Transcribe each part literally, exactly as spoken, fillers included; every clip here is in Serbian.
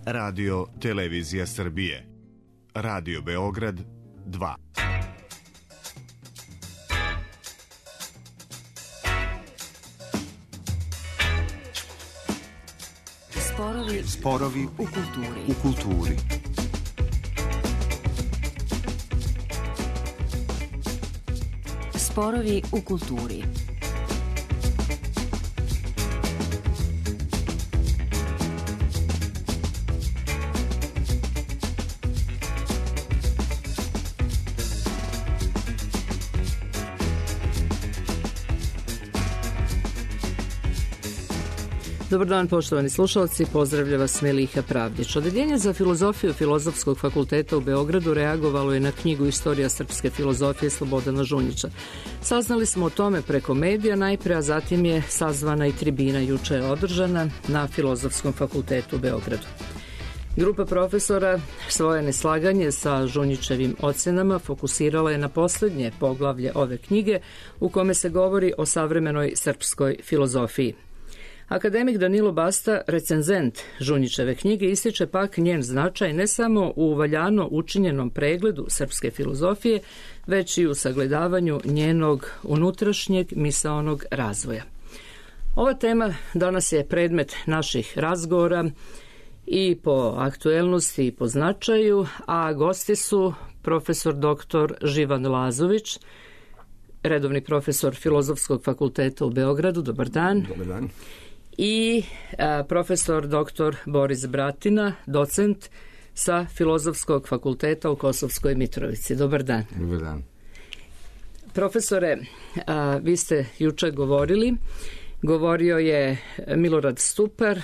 Radio Televizija Srbije. Radio Beograd dva. Sporovi, Sporovi u kulturi. u kulturi. Sporovi u kulturi. Dobar dan, poštovani slušalci, pozdravlja vas Meliha Pravdić. Odeljenje za filozofiju Filozofskog fakulteta u Beogradu reagovalo je na knjigu Istorija srpske filozofije Slobodana Žunjića. Saznali smo o tome preko medija najpre, a zatim je sazvana i tribina juče je održana na Filozofskom fakultetu u Beogradu. Grupa profesora svoje neslaganje sa Žunjićevim ocenama fokusirala je na poslednje poglavlje ove knjige u kome se govori o savremenoj srpskoj filozofiji. Akademik Danilo Basta, recenzent Žunjićeve knjige, ističe pak njen značaj ne samo u valjano učinjenom pregledu srpske filozofije, već i u sagledavanju njenog unutrašnjeg misaonog razvoja. Ova tema danas je predmet naših razgovora i po aktuelnosti i po značaju, a gosti su profesor doktor Živan Lazović, redovni profesor Filozofskog fakulteta u Beogradu. Dobar dan. Dobar dan. I a, profesor doktor Boris Bratina, docent sa Filozofskog fakulteta u Kosovskoj Mitrovici. Dobar dan. Dobar dan. Profesore, a, vi ste juče govorili, govorio je Milorad Stupar,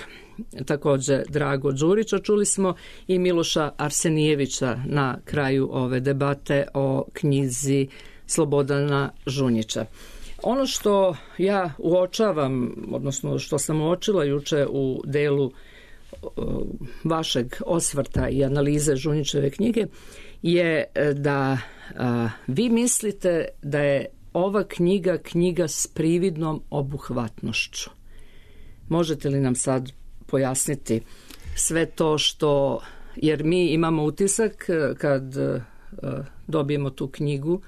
takođe Drago Đurić, a čuli smo i Miloša Arsenijevića na kraju ove debate o knjizi Slobodana Žunjića. Ono što ja uočavam, odnosno što sam uočila juče u delu vašeg osvrta i analize Žunjićeve knjige, je da a, vi mislite da je ova knjiga knjiga s prividnom obuhvatnošću. Možete li nam sad pojasniti sve to što, jer mi imamo utisak kad a, dobijemo tu knjigu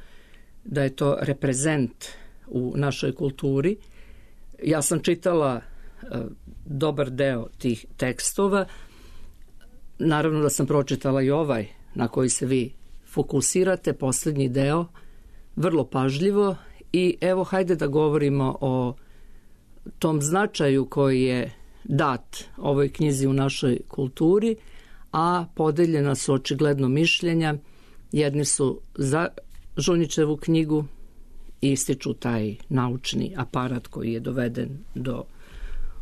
da je to reprezent u našoj kulturi. Ja sam čitala uh, dobar deo tih tekstova. Naravno da sam pročitala i ovaj na koji se vi fokusirate, poslednji deo, vrlo pažljivo, i evo hajde da govorimo o tom značaju koji je dat ovoj knjizi u našoj kulturi, a podeljena su očigledno mišljenja. Jedni su za Žunjićevu knjigu, ističu taj naučni aparat koji je doveden do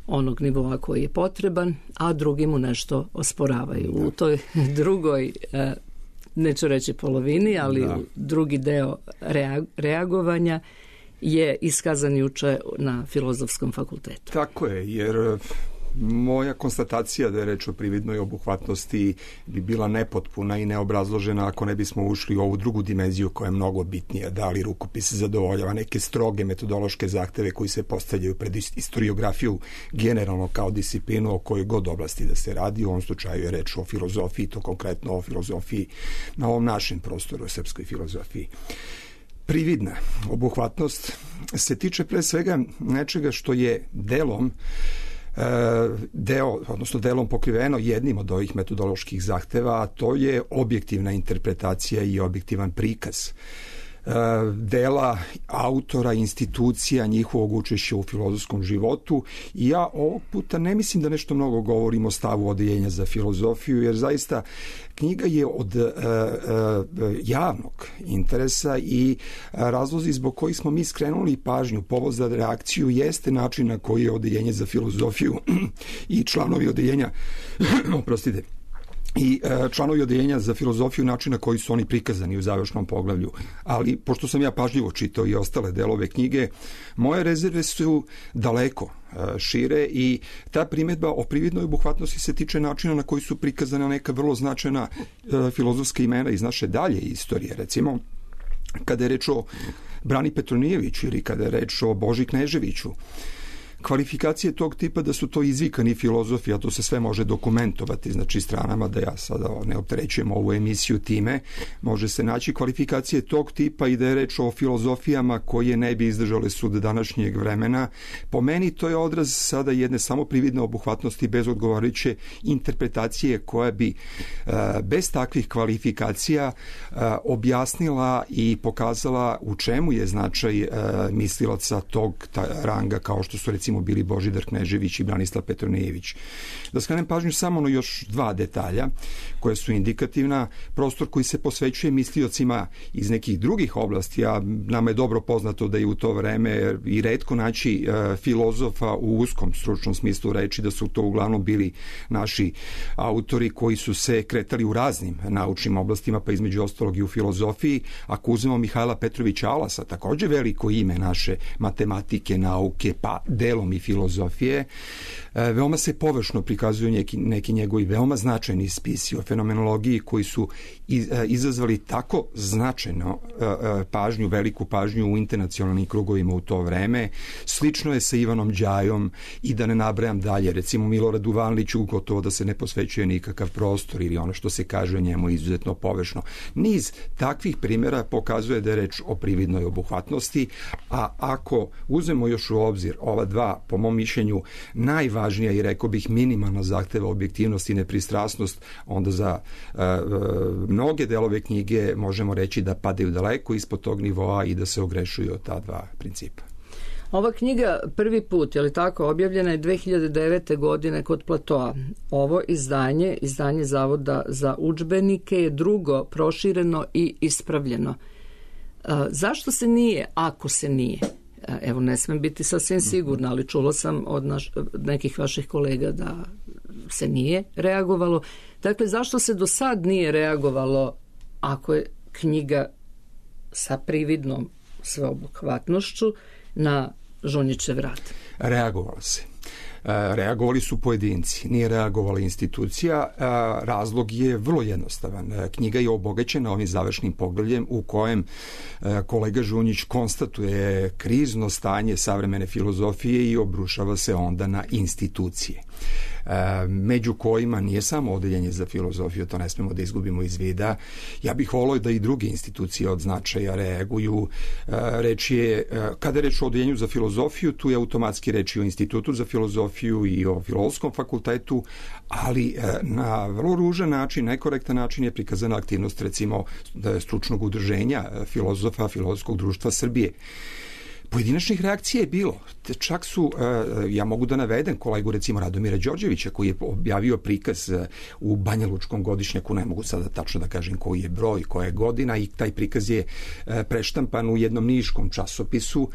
onog nivoa koji je potreban, a drugi mu nešto osporavaju. Da. U toj drugoj, neću reći polovini, ali da. drugi deo reagovanja je iskazan juče na Filozofskom fakultetu. Tako je, jer moja konstatacija da je reč o prividnoj obuhvatnosti bi bila nepotpuna i neobrazložena ako ne bismo ušli u ovu drugu dimenziju koja je mnogo bitnija, da li rukopis zadovoljava neke stroge metodološke zahteve koji se postavljaju pred istoriografiju generalno kao disciplinu o kojoj god oblasti da se radi. U ovom slučaju je reč o filozofiji, to konkretno o filozofiji na ovom našem prostoru, o srpskoj filozofiji. Prividna obuhvatnost se tiče pre svega nečega što je delom deo, odnosno delom pokriveno jednim od ovih metodoloških zahteva, a to je objektivna interpretacija i objektivan prikaz dela autora, institucija, njihovog učešća u filozofskom životu. I ja ovog puta ne mislim da nešto mnogo govorim o stavu Odeljenja za filozofiju, jer zaista knjiga je od uh, uh, javnog interesa i razlozi zbog kojih smo mi skrenuli pažnju, povod za reakciju jeste način na koji je Odeljenje za filozofiju i članovi Odeljenja oprostite i članovi Odeljenja za filozofiju, način na koji su oni prikazani u završnom poglavlju. Ali, pošto sam ja pažljivo čitao i ostale delove knjige, moje rezerve su daleko šire i ta primedba o prividnoj obuhvatnosti se tiče načina na koji su prikazana neka vrlo značajna filozofska imena iz naše dalje istorije. Recimo, kada je reč o Brani Petronijeviću ili kada je reč o Boži Kneževiću, kvalifikacije tog tipa da su to izvikani filozofi, a to se sve može dokumentovati, znači stranama, da ja sada ne opterećujem ovu emisiju time, može se naći kvalifikacije tog tipa i da je reč o filozofijama koje ne bi izdržale sud današnjeg vremena. Po meni to je odraz sada jedne samo prividne obuhvatnosti bez odgovarajuće interpretacije koja bi bez takvih kvalifikacija objasnila i pokazala u čemu je značaj mislilaca tog ranga kao što su recimo bili Božidar Knežević i Branislav Petronijević. Da skrenem pažnju samo na još dva detalja koje su indikativna. Prostor koji se posvećuje misliocima iz nekih drugih oblasti, a nama je dobro poznato da je u to vreme i retko naći e, filozofa u uskom stručnom smislu reči, da su to uglavnom bili naši autori koji su se kretali u raznim naučnim oblastima, pa između ostalog i u filozofiji. Ako uzmemo Mihajla Petrovića Alasa, takođe veliko ime naše matematike, nauke, pa delom i filozofije, e, veoma se površno prikazuju neki, neki njegovi veoma značajni spisi o fenomenologiji koji su iz, e, izazvali tako značajno e, e, pažnju, veliku pažnju u internacionalnim krugovima u to vreme. Slično je sa Ivanom Đajom i da ne nabrajam dalje, recimo Miloradu Vanliću gotovo da se ne posvećuje nikakav prostor ili ono što se kaže o njemu izuzetno površno. Niz takvih primjera pokazuje da je reč o prividnoj obuhvatnosti, a ako uzmemo još u obzir ova dva, po mom mišljenju, najvažnija i rekao bih minimalna zahteva objektivnost i nepristrasnost, onda za uh, mnoge delove knjige možemo reći da padaju daleko ispod tog nivoa i da se ogrešuju od ta dva principa. Ova knjiga prvi put, je li tako, objavljena je dve hiljade devete. godine kod Platoa. Ovo izdanje, izdanje Zavoda za udžbenike, je drugo prošireno i ispravljeno. A, zašto se nije, ako se nije? A, evo, ne smem biti sasvim sigurna, ali čula sam od naš, nekih vaših kolega da se nije reagovalo. Dakle, zašto se do sad nije reagovalo ako je knjiga sa prividnom sveobuhvatnošću na Žunjićev rad? Reagovalo se. Reagovali su pojedinci, nije reagovala institucija. Razlog je vrlo jednostavan. Knjiga je obogaćena ovim završnim poglavljem u kojem kolega Žunjić konstatuje krizno stanje savremene filozofije i obrušava se onda na institucije, među kojima nije samo odeljenje za filozofiju, to ne smemo da izgubimo iz vida. Ja bih volio da i druge institucije od značaja reaguju. Reč je, kada je reč o odeljenju za filozofiju, tu je automatski reč i o Institutu za filozofiju i o Filozofskom fakultetu, ali na vrlo ružan način, nekorektan način je prikazana aktivnost recimo stručnog udruženja filozofa Filozofskog društva Srbije. Pojedinačnih reakcija je bilo. Čak su, ja mogu da navedem kolegu recimo Radomira Đorđevića koji je objavio prikaz u Banjalučkom godišnjaku, ne mogu sada tačno da kažem koji je broj, koja je godina, i taj prikaz je preštampan u jednom niškom časopisu,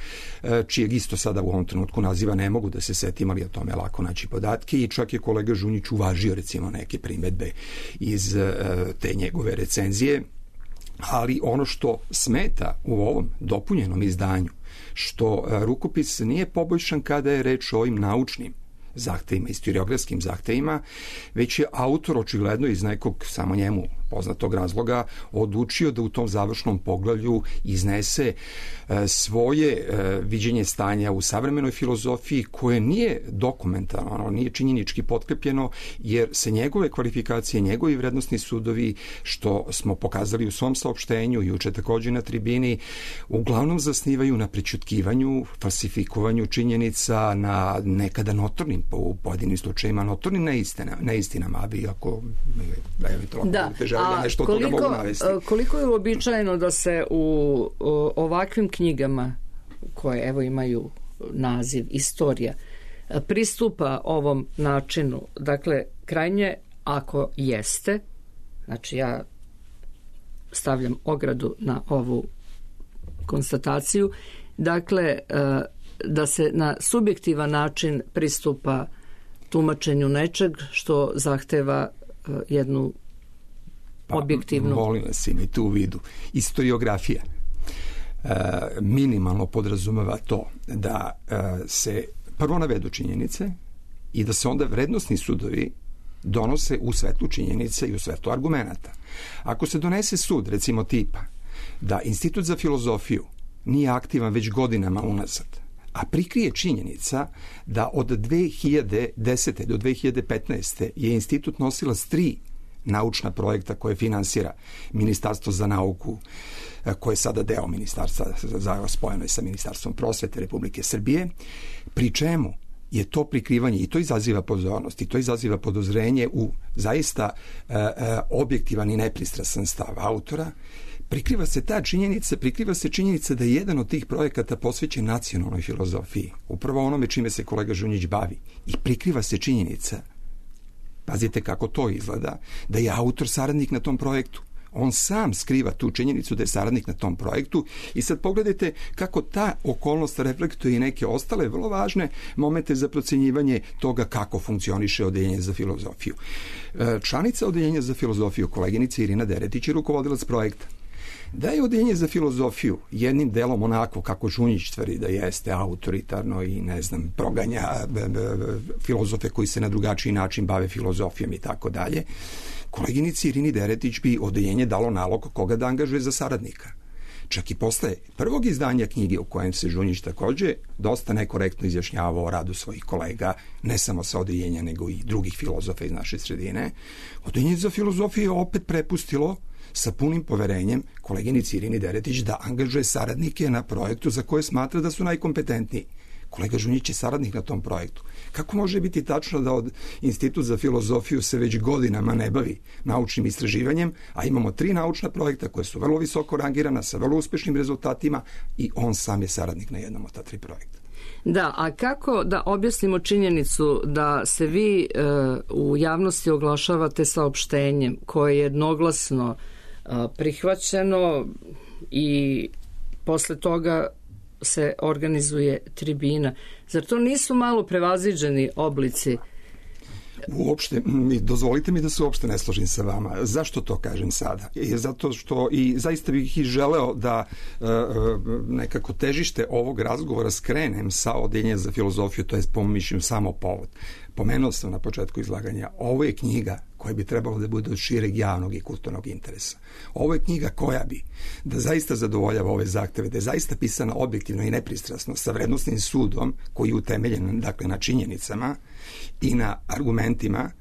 čijeg isto sada u ovom trenutku naziva ne mogu da se setim, ali o tome lako naći podatke, i čak je kolega Žunjić uvažio recimo neke primedbe iz te njegove recenzije. Ali ono što smeta u ovom dopunjenom izdanju, što rukopis nije poboljšan kada je reč o ovim naučnim zahtevima, historiografskim zahtevima, već je autor očigledno iz nekog samo njemu poznatog razloga odlučio da u tom završnom poglavlju iznese svoje viđenje stanja u savremenoj filozofiji koje nije dokumentarno, nije činjenički potkrepljeno, jer se njegove kvalifikacije, njegovi vrednosni sudovi, što smo pokazali u svom saopštenju juče također na tribini, uglavnom zasnivaju na prećutkivanju, falsifikovanju činjenica, na nekada notornim, u pojedinim slučajima notornim neistina, neistinama, a vi ako eventualno da. Ja nešto koliko, toga mogu navesti. Koliko je uobičajeno da se u o, ovakvim knjigama, koje evo imaju naziv Istorija, pristupa ovom načinu? Dakle, krajnje, ako jeste, znači ja stavljam ogradu na ovu konstataciju, dakle, da se na subjektivan način pristupa tumačenju nečeg što zahteva jednu Pa, objektivno. Molim vas, imajte tu u vidu. Istoriografija e, minimalno podrazumeva to da e, se prvo navedu činjenice i da se onda vrednosni sudovi donose u svetlu činjenica i u svetlu argumenata. Ako se donese sud, recimo tipa, da Institut za filozofiju nije aktivan već godinama unazad, a prikrije činjenica da od dve hiljade desete do dve hiljade petnaeste je institut nosilac tri naučna projekta koje finansira Ministarstvo za nauku, koje je sada deo ministarstva, za spojeno je sa Ministarstvom prosvete Republike Srbije, pri čemu je to prikrivanje i to izaziva pozornost i to izaziva podozrenje u zaista e, e, objektivan i nepristrasan stav autora. Prikriva se ta činjenica, prikriva se činjenica da je jedan od tih projekata posvećen nacionalnoj filozofiji, upravo onome čime se kolega Žunjić bavi. I prikriva se činjenica, pazite kako to izgleda, da je autor saradnik na tom projektu. On sam skriva tu činjenicu da je saradnik na tom projektu i sad pogledajte kako ta okolnost reflektuje i neke ostale vrlo važne momente za procjenjivanje toga kako funkcioniše Odeljenje za filozofiju. Članica Odeljenja za filozofiju, koleginica Irina Deretić, je rukovodilac projekta. Da je Odeljenje za filozofiju jednim delom onako kako Žunjić tvrdi da jeste autoritarno i ne znam proganja filozofe koji se na drugačiji način bave filozofijom i tako dalje, koleginici Irini Deretić bi Odeljenje dalo nalog koga da angažuje za saradnika. Čak i posle prvog izdanja knjige u kojem se Žunjić takođe dosta nekorektno izjašnjavao o radu svojih kolega, ne samo sa Odeljenja nego i drugih filozofa iz naše sredine, Odeljenje za filozofiju je opet prepustilo sa punim poverenjem koleginici Irini Deretić da angažuje saradnike na projektu za koje smatra da su najkompetentniji. Kolega Žunjić je saradnik na tom projektu. Kako može biti tačno da od Institut za filozofiju se već godinama ne bavi naučnim istraživanjem, a imamo tri naučna projekta koje su vrlo visoko rangirana sa vrlo uspešnim rezultatima i on sam je saradnik na jednom od ta tri projekta? Da, a kako da objasnimo činjenicu da se vi e, u javnosti oglašavate saopštenjem koje je jednoglasno e, prihvaćeno i posle toga se organizuje tribina. Zar to nisu malo prevaziđeni oblici? Uopšte, dozvolite mi da se uopšte ne složim sa vama. Zašto to kažem sada? Je zato što i zaista bih i želeo da e, nekako težište ovog razgovora skrenem sa Odeljenja za filozofiju, to je po mom mišljenju samo povod. Pomenuo sam na početku izlaganja, ovo je knjiga koja bi trebalo da bude od šireg javnog i kulturnog interesa. Ovo je knjiga koja bi da zaista zadovoljava ove zahteve, da je zaista pisana objektivno i nepristrasno, sa vrednosnim sudom koji je utemeljen dakle, na činjenicama i na argumentima,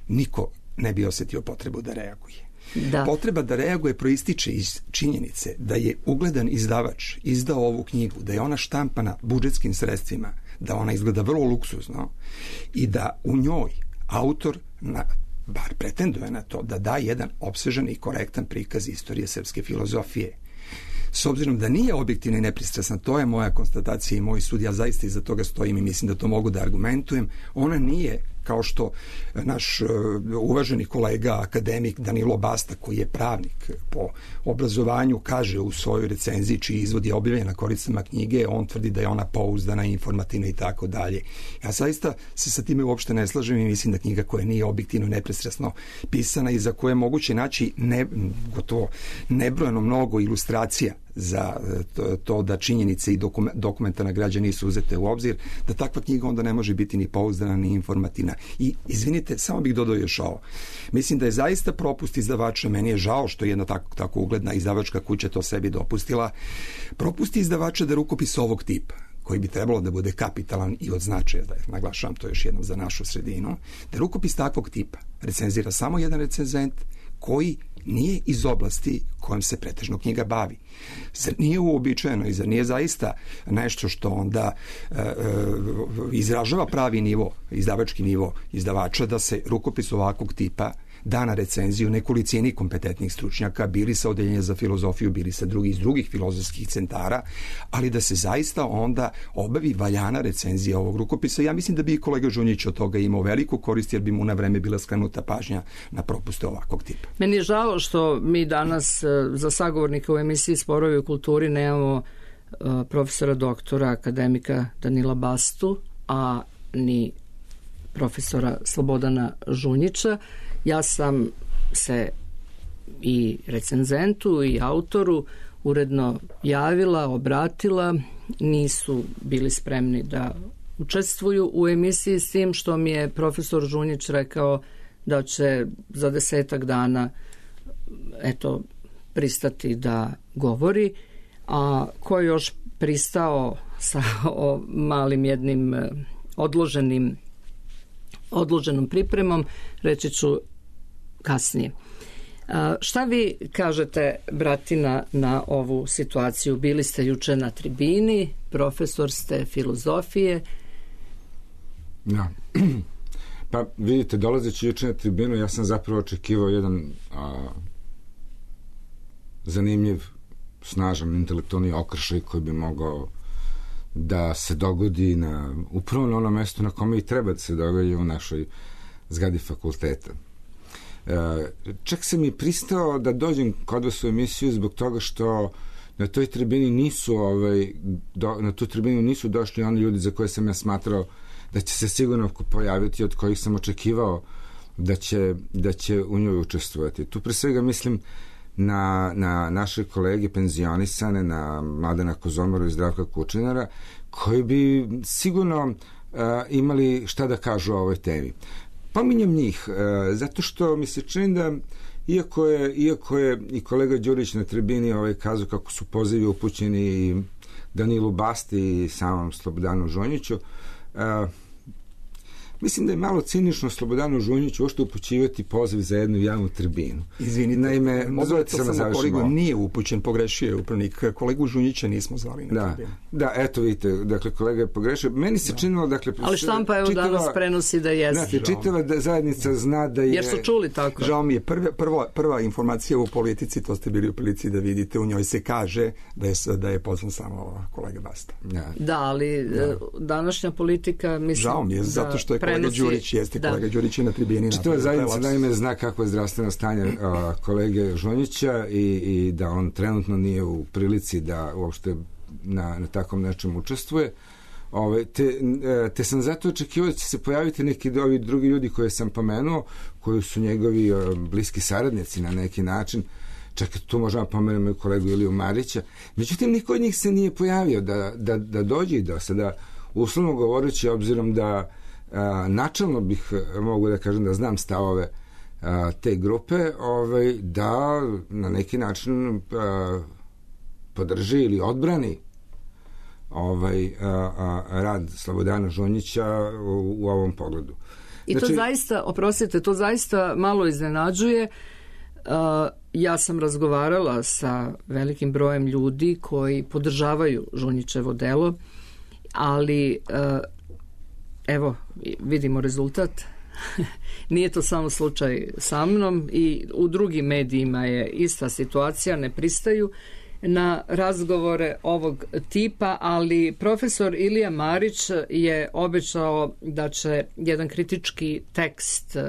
niko ne bi osetio potrebu da reaguje. Da. Potreba da reaguje proističe iz činjenice da je ugledan izdavač izdao ovu knjigu, da je ona štampana budžetskim sredstvima, da ona izgleda vrlo luksuzno i da u njoj autor na, bar pretenduje na to da da jedan opsežan i korektan prikaz istorije srpske filozofije. S obzirom da nije objektivna i nepristrasna, to je moja konstatacija i moj sud, ja zaista iza toga stojim i mislim da to mogu da argumentujem, ona nije kao što naš uvaženi kolega akademik Danilo Basta, koji je pravnik po obrazovanju, kaže u svojoj recenziji čiji izvod je objavljen na koricama knjige, on tvrdi da je ona pouzdana, informativna i tako dalje. Ja zaista se sa time uopšte ne slažem i mislim da knjiga koja nije objektivno i nepristrasno pisana i za koje je moguće naći ne, gotovo nebrojeno mnogo ilustracija za to da činjenice i dokumentarna građa nisu uzete u obzir, da takva knjiga onda ne može biti ni pouzdana ni informativna. I izvinite, samo bih dodao još ovo. Mislim da je zaista propust izdavača, meni je žao što je jedna tako, tako ugledna izdavačka kuća to sebi dopustila, propust izdavača da rukopis ovog tipa, koji bi trebalo da bude kapitalan i od značaja, da je, naglašavam to još jednom za našu sredinu, da rukopis takvog tipa recenzira samo jedan recenzent koji nije iz oblasti kojom se pretežno knjiga bavi. Zar nije uobičajeno i zar nije zaista nešto što onda e, e, izražava pravi nivo, izdavački nivo izdavača, da se rukopis ovakvog tipa da na recenziju nekolicini kompetentnih stručnjaka, bili sa Odeljenja za filozofiju, bili sa drugih iz drugih filozofskih centara, ali da se zaista onda obavi valjana recenzija ovog rukopisa. Ja mislim da bi i kolega Žunjić od toga imao veliku korist, jer bi mu na vreme bila skrenuta pažnja na propuste ovakvog tipa. Meni je žao što mi danas za sagovornika u emisiji Sporovi u kulturi nemamo profesora doktora akademika Danila Bastu, a ni profesora Slobodana Žunjića. Ja sam se i recenzentu i autoru uredno javila, obratila, nisu bili spremni da učestvuju u emisiji, s tim što mi je profesor Žunjić rekao da će za desetak dana eto pristati da govori, a ko je još pristao sa o malim jednim odloženim odloženom pripremom, reći ću kasnije. A, šta vi kažete, Bratina, na ovu situaciju? Bili ste juče na tribini, profesor ste filozofije. Ja. Pa vidite, dolazeći juče na tribinu, ja sam zapravo očekivao jedan a, zanimljiv, snažan intelektualni okršaj koji bi mogao da se dogodi na, upravo na ono mesto na kome i treba da se dogodi, u našoj zgradi fakulteta. E, čak sam i pristao da dođem kod vas u emisiju zbog toga što na toj tribini nisu ovaj, do, na tu tribinu nisu došli oni ljudi za koje sam ja smatrao da će se sigurno pojaviti, od kojih sam očekivao da će, da će u njoj učestvovati. Tu pre svega mislim na, na naše kolege penzionisane, na Mladena Kozomaru i Zdravka Kučinara, koji bi sigurno uh, imali šta da kažu o ovoj temi. Pominjem njih, uh, zato što mi se čini da iako je, iako je i kolega Đurić na tribini ovaj kazao kako su pozivi upućeni i Danilu Basti i samom Slobodanu Žunjiću, uh, mislim da je malo cinično Slobodanu Žunjiću uopšte upućivati poziv za jednu javnu tribinu. Izvinite, naime, dozvolite samo da korigujem, nije upućen, pogrešio je upravnik. Kolegu Žunjića nismo zvali na da, tribinu. Da, eto vidite, dakle, kolega je pogrešio. Meni se da. činilo, dakle... Ali štampa je čitava, danas prenosi da jeste. Znate, čitava da zajednica zna da je... Jer su čuli tako. Žao mi je, prva, prva, prva informacija u politici, to ste bili u prilici da vidite, u njoj se kaže da je, da je pozvan samo kolega Basta. Ja. Da, ali da. današnja politika, mislim... Žao mi je, zato što je kolega Đurić jeste, da. kolega Đurić je na tribini. Čitava zajednica naime zna kako je zdravstveno stanje a, kolege Žunjića i, i da on trenutno nije u prilici da uopšte na, na takvom nečem učestvuje. Ove, te, te sam zato očekivao da će se pojaviti neki ovi drugi ljudi koje sam pomenuo, koji su njegovi a, bliski saradnici na neki način. Čak tu možemo pomenuti kolegu Iliju Marića. Međutim, niko od njih se nije pojavio da, da, da dođe i da sada, uslovno govoreći, obzirom da a, načalno bih mogu da kažem da znam stavove a, te grupe, ovaj, da na neki način a, podrži ili odbrani ovaj, a, a, rad Slobodana Žunjića u, u ovom pogledu. I znači, to zaista, oprostite, to zaista malo iznenađuje. Uh, ja sam razgovarala sa velikim brojem ljudi koji podržavaju Žunjićevo delo, ali uh, evo, vidimo rezultat. Nije to samo slučaj sa mnom, i u drugim medijima je ista situacija, ne pristaju na razgovore ovog tipa, ali profesor Ilija Marić je obećao da će jedan kritički tekst uh,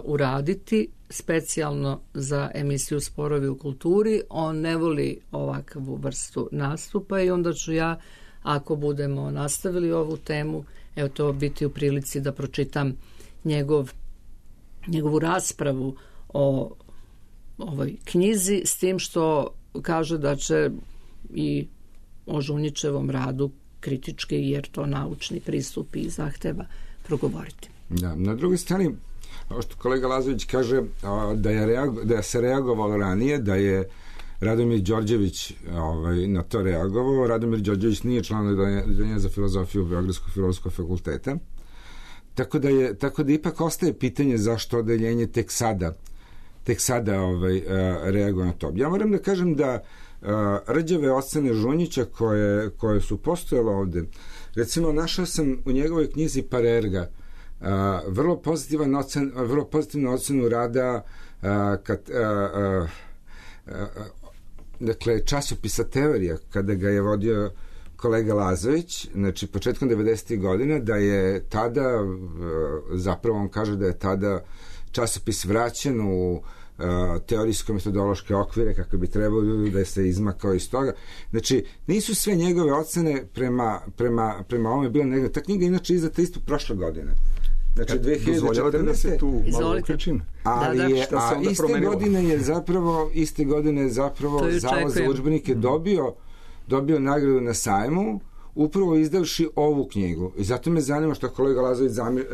uraditi specijalno za emisiju Sporovi u kulturi. On ne voli ovakvu vrstu nastupa i onda ću ja, ako budemo nastavili ovu temu, evo to biti u prilici da pročitam njegov, njegovu raspravu o ovoj knjizi, s tim što kaže da će i o Žunjićevom radu kritički, jer to naučni pristup i zahteva, progovoriti. Da, na drugoj strani, ovo što kolega Lazović kaže, da je, reago, da je se reagovalo ranije, da je Radomir Đorđević ovaj, na to reagovao. Radomir Đorđević nije član odeljenja za filozofiju Beogradskog filozofskog fakulteta, tako da, je, tako da ipak ostaje pitanje zašto odeljenje tek sada tek sada ovaj, reaguje na to. Ja moram da kažem da a, rđave ocene Žunjića koje, koje su postojale ovde, recimo našao sam u njegovoj knjizi Parerga a, vrlo, pozitivan ocen, vrlo pozitivnu ocenu rada a, kad, a, a, a, dakle časopisa Teorija, kada ga je vodio kolega Lazović, znači početkom devedesetih godina, da je tada, zapravo on kaže da je tada časopis vraćen u uh, teorijsko-metodološke okvire kako bi trebalo da se izmakao iz toga. Znači, nisu sve njegove ocene prema, prema, prema ovome bile negativne. Ta knjiga inače izdata isto prošle godine. Znači, dve hiljade četrnaeste. Da se tu malo uključim. Ali da, da. Je, a iste promenilo? godine je zapravo, iste godine je zapravo Zavod za udžbenike mm. dobio, dobio nagradu na sajmu, upravo izdavši ovu knjigu. I zato me zanima što kolega Lazović zamir,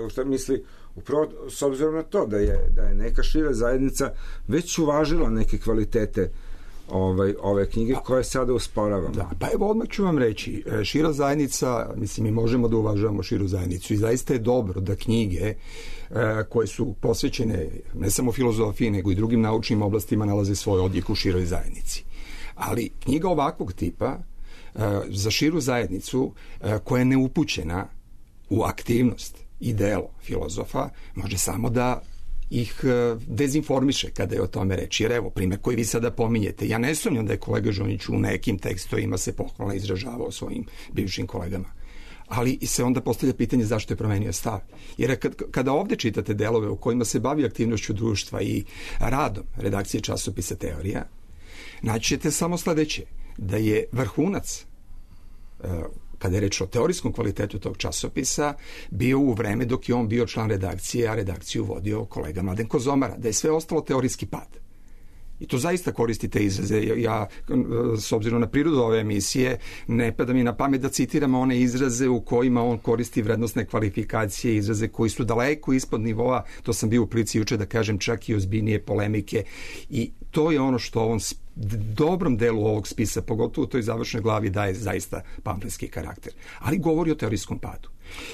što misli upravo s obzirom na to da je, da je neka šira zajednica već uvažila neke kvalitete ovaj, ove knjige koje sada usporavamo. Da, pa evo odmah ću vam reći, šira zajednica, mislim mi možemo da uvažavamo širu zajednicu i zaista je dobro da knjige koje su posvećene ne samo filozofiji nego i drugim naučnim oblastima nalaze svoj odjek u široj zajednici. Ali knjiga ovakvog tipa za širu zajednicu koja je neupućena u aktivnost i delo filozofa može samo da ih dezinformiše kada je o tome reći. Jer evo, primjer koji vi sada pominjete, ja ne sumnjam da je kolega Žunjić u nekim tekstovima se pohvalno izražavao svojim bivšim kolegama. Ali se onda postavlja pitanje zašto je promenio stav. Jer kad, kada ovde čitate delove u kojima se bavi aktivnošću društva i radom redakcije časopisa Teorija, naći ćete samo sledeće, da je vrhunac kada je reč o teorijskom kvalitetu tog časopisa, bio u vreme dok je on bio član redakcije, a redakciju vodio kolega Mladen Kozomara, da je sve ostalo teorijski pad. I to zaista koristite izraze. Ja, s obzirom na prirodu ove emisije, ne pada mi na pamet da citiram one izraze u kojima on koristi vrednostne kvalifikacije, izraze koji su daleko ispod nivoa, to sam bio u prilici juče da kažem, čak i ozbiljnije polemike. I to je ono što on dobrom delu ovog spisa, pogotovo u toj završnoj glavi, daje zaista pamfletski karakter. Ali govori o teorijskom padu.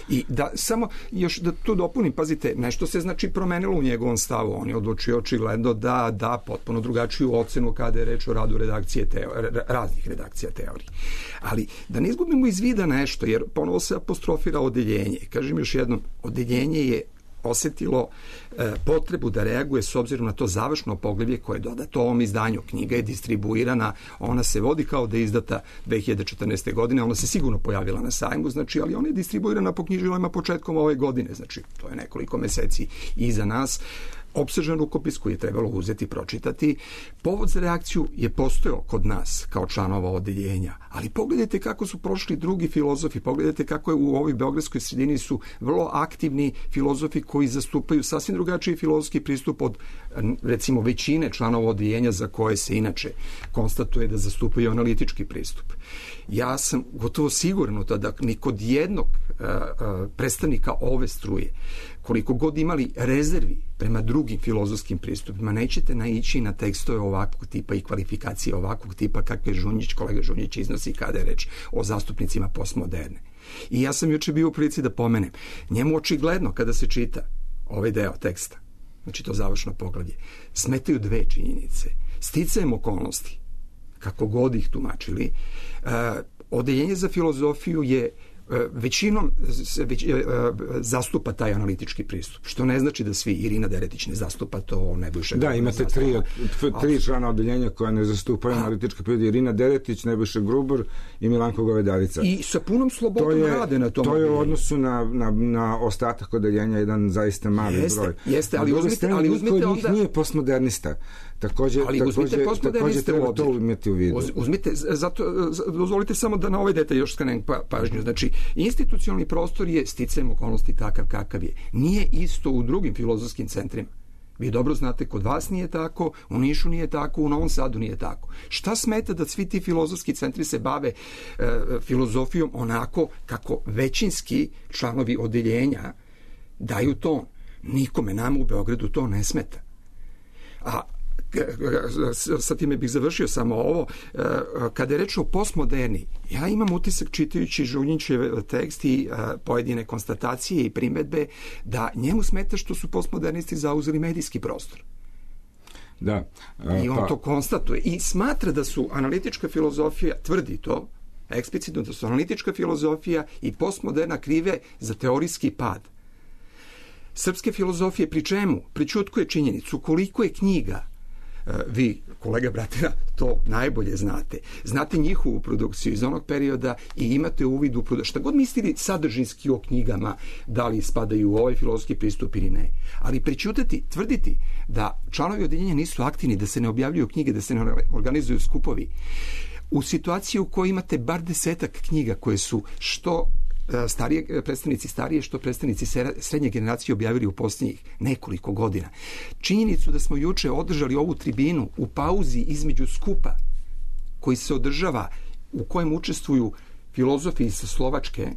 I da samo još da tu dopunim, pazite, nešto se znači promenilo u njegovom stavu. On je odlučio očigledno da da potpuno drugačiju ocenu kada je reč o radu redakcije teo, raznih redakcija Teorije. Ali da ne izgubimo iz vida nešto, jer ponovo se apostrofira odeljenje. Kažem još jednom, odeljenje je osetilo e, potrebu da reaguje s obzirom na to završno poglavlje koje je dodato ovom izdanju. Knjiga je distribuirana, ona se vodi kao da je izdata dve hiljade četrnaeste. godine, ona se sigurno pojavila na sajmu, znači, ali ona je distribuirana po knjižilama početkom ove godine, znači to je nekoliko meseci iza nas. Opsežan rukopis koji je trebalo uzeti, pročitati. Povod za reakciju je postojao kod nas kao članova odeljenja, ali pogledajte kako su prošli drugi filozofi, pogledajte kako je u ovoj beogradskoj sredini su vrlo aktivni filozofi koji zastupaju sasvim drugačiji filozofski pristup od, recimo, većine članova odeljenja za koje se inače konstatuje da zastupaju analitički pristup. Ja sam gotovo siguran da ni kod jednog uh, uh, predstavnika ove struje, koliko god imali rezervi prema drugim filozofskim pristupima, nećete naići na tekstove ovakvog tipa i kvalifikacije ovakvog tipa kakve Žunjić, kolega Žunjić iznosi kada je reč o zastupnicima postmoderne. I ja sam juče bio u prilici da pomenem, njemu očigledno kada se čita ovaj deo teksta, znači to završno poglavlje, smetaju dve činjenice. Sticajem okolnosti, kako god ih tumačili, uh, odeljenje za filozofiju je većinom već, zastupa taj analitički pristup, što ne znači da svi, Irina Deretić ne zastupa to, Nebojša Da, imate tri, tri člana odeljenja koja ne zastupaju a, analitički pristup, Irina Deretić, Nebojša Grubar i Milanko Govedarica. I sa punom slobodom to je, rade na tom. To je u odnosu na, na, na ostatak odeljenja jedan zaista mali jeste, broj. Jeste, ali uzmite, ali uzmite onda... njih nije postmodernista. Takođe, ali takođe, uzmite takođe treba to imati u vidu. Uzmite, zato, dozvolite samo da na ovaj detalj još skrenem pa, pažnju. Znači, institucionalni prostor je sticajem okolnosti takav kakav je. Nije isto u drugim filozofskim centrima. Vi dobro znate, kod vas nije tako, u Nišu nije tako, u Novom Sadu nije tako. Šta smeta da svi ti filozofski centri se bave e, filozofijom onako kako većinski članovi odeljenja daju ton? Nikome, nama u Beogradu to ne smeta. A sa time bih završio samo ovo, kada je reč o postmoderni, ja imam utisak čitajući Žunjićev tekst i pojedine konstatacije i primedbe da njemu smeta što su postmodernisti zauzeli medijski prostor. Da. A, I on pa... to konstatuje i smatra da su analitička filozofija, tvrdi to, eksplicitno da su analitička filozofija i postmoderna krive za teorijski pad srpske filozofije, pri čemu pričutkuje činjenicu koliko je knjiga, vi, kolega Bratera, to najbolje znate. Znate njihovu produkciju iz onog perioda i imate uvid u produkciju. Šta god mislili sadržinski o knjigama, da li spadaju u ovaj filozofski pristup ili ne. Ali prećutati, tvrditi da članovi odeljenja nisu aktivni, da se ne objavljuju knjige, da se ne organizuju skupovi, u situaciji u kojoj imate bar desetak knjiga koje su što starije, predstavnici starije, što predstavnici srednje generacije objavili u posljednjih nekoliko godina. Činjenicu da smo juče održali ovu tribinu u pauzi između skupa koji se održava, u kojem učestvuju filozofi iz Slovačke,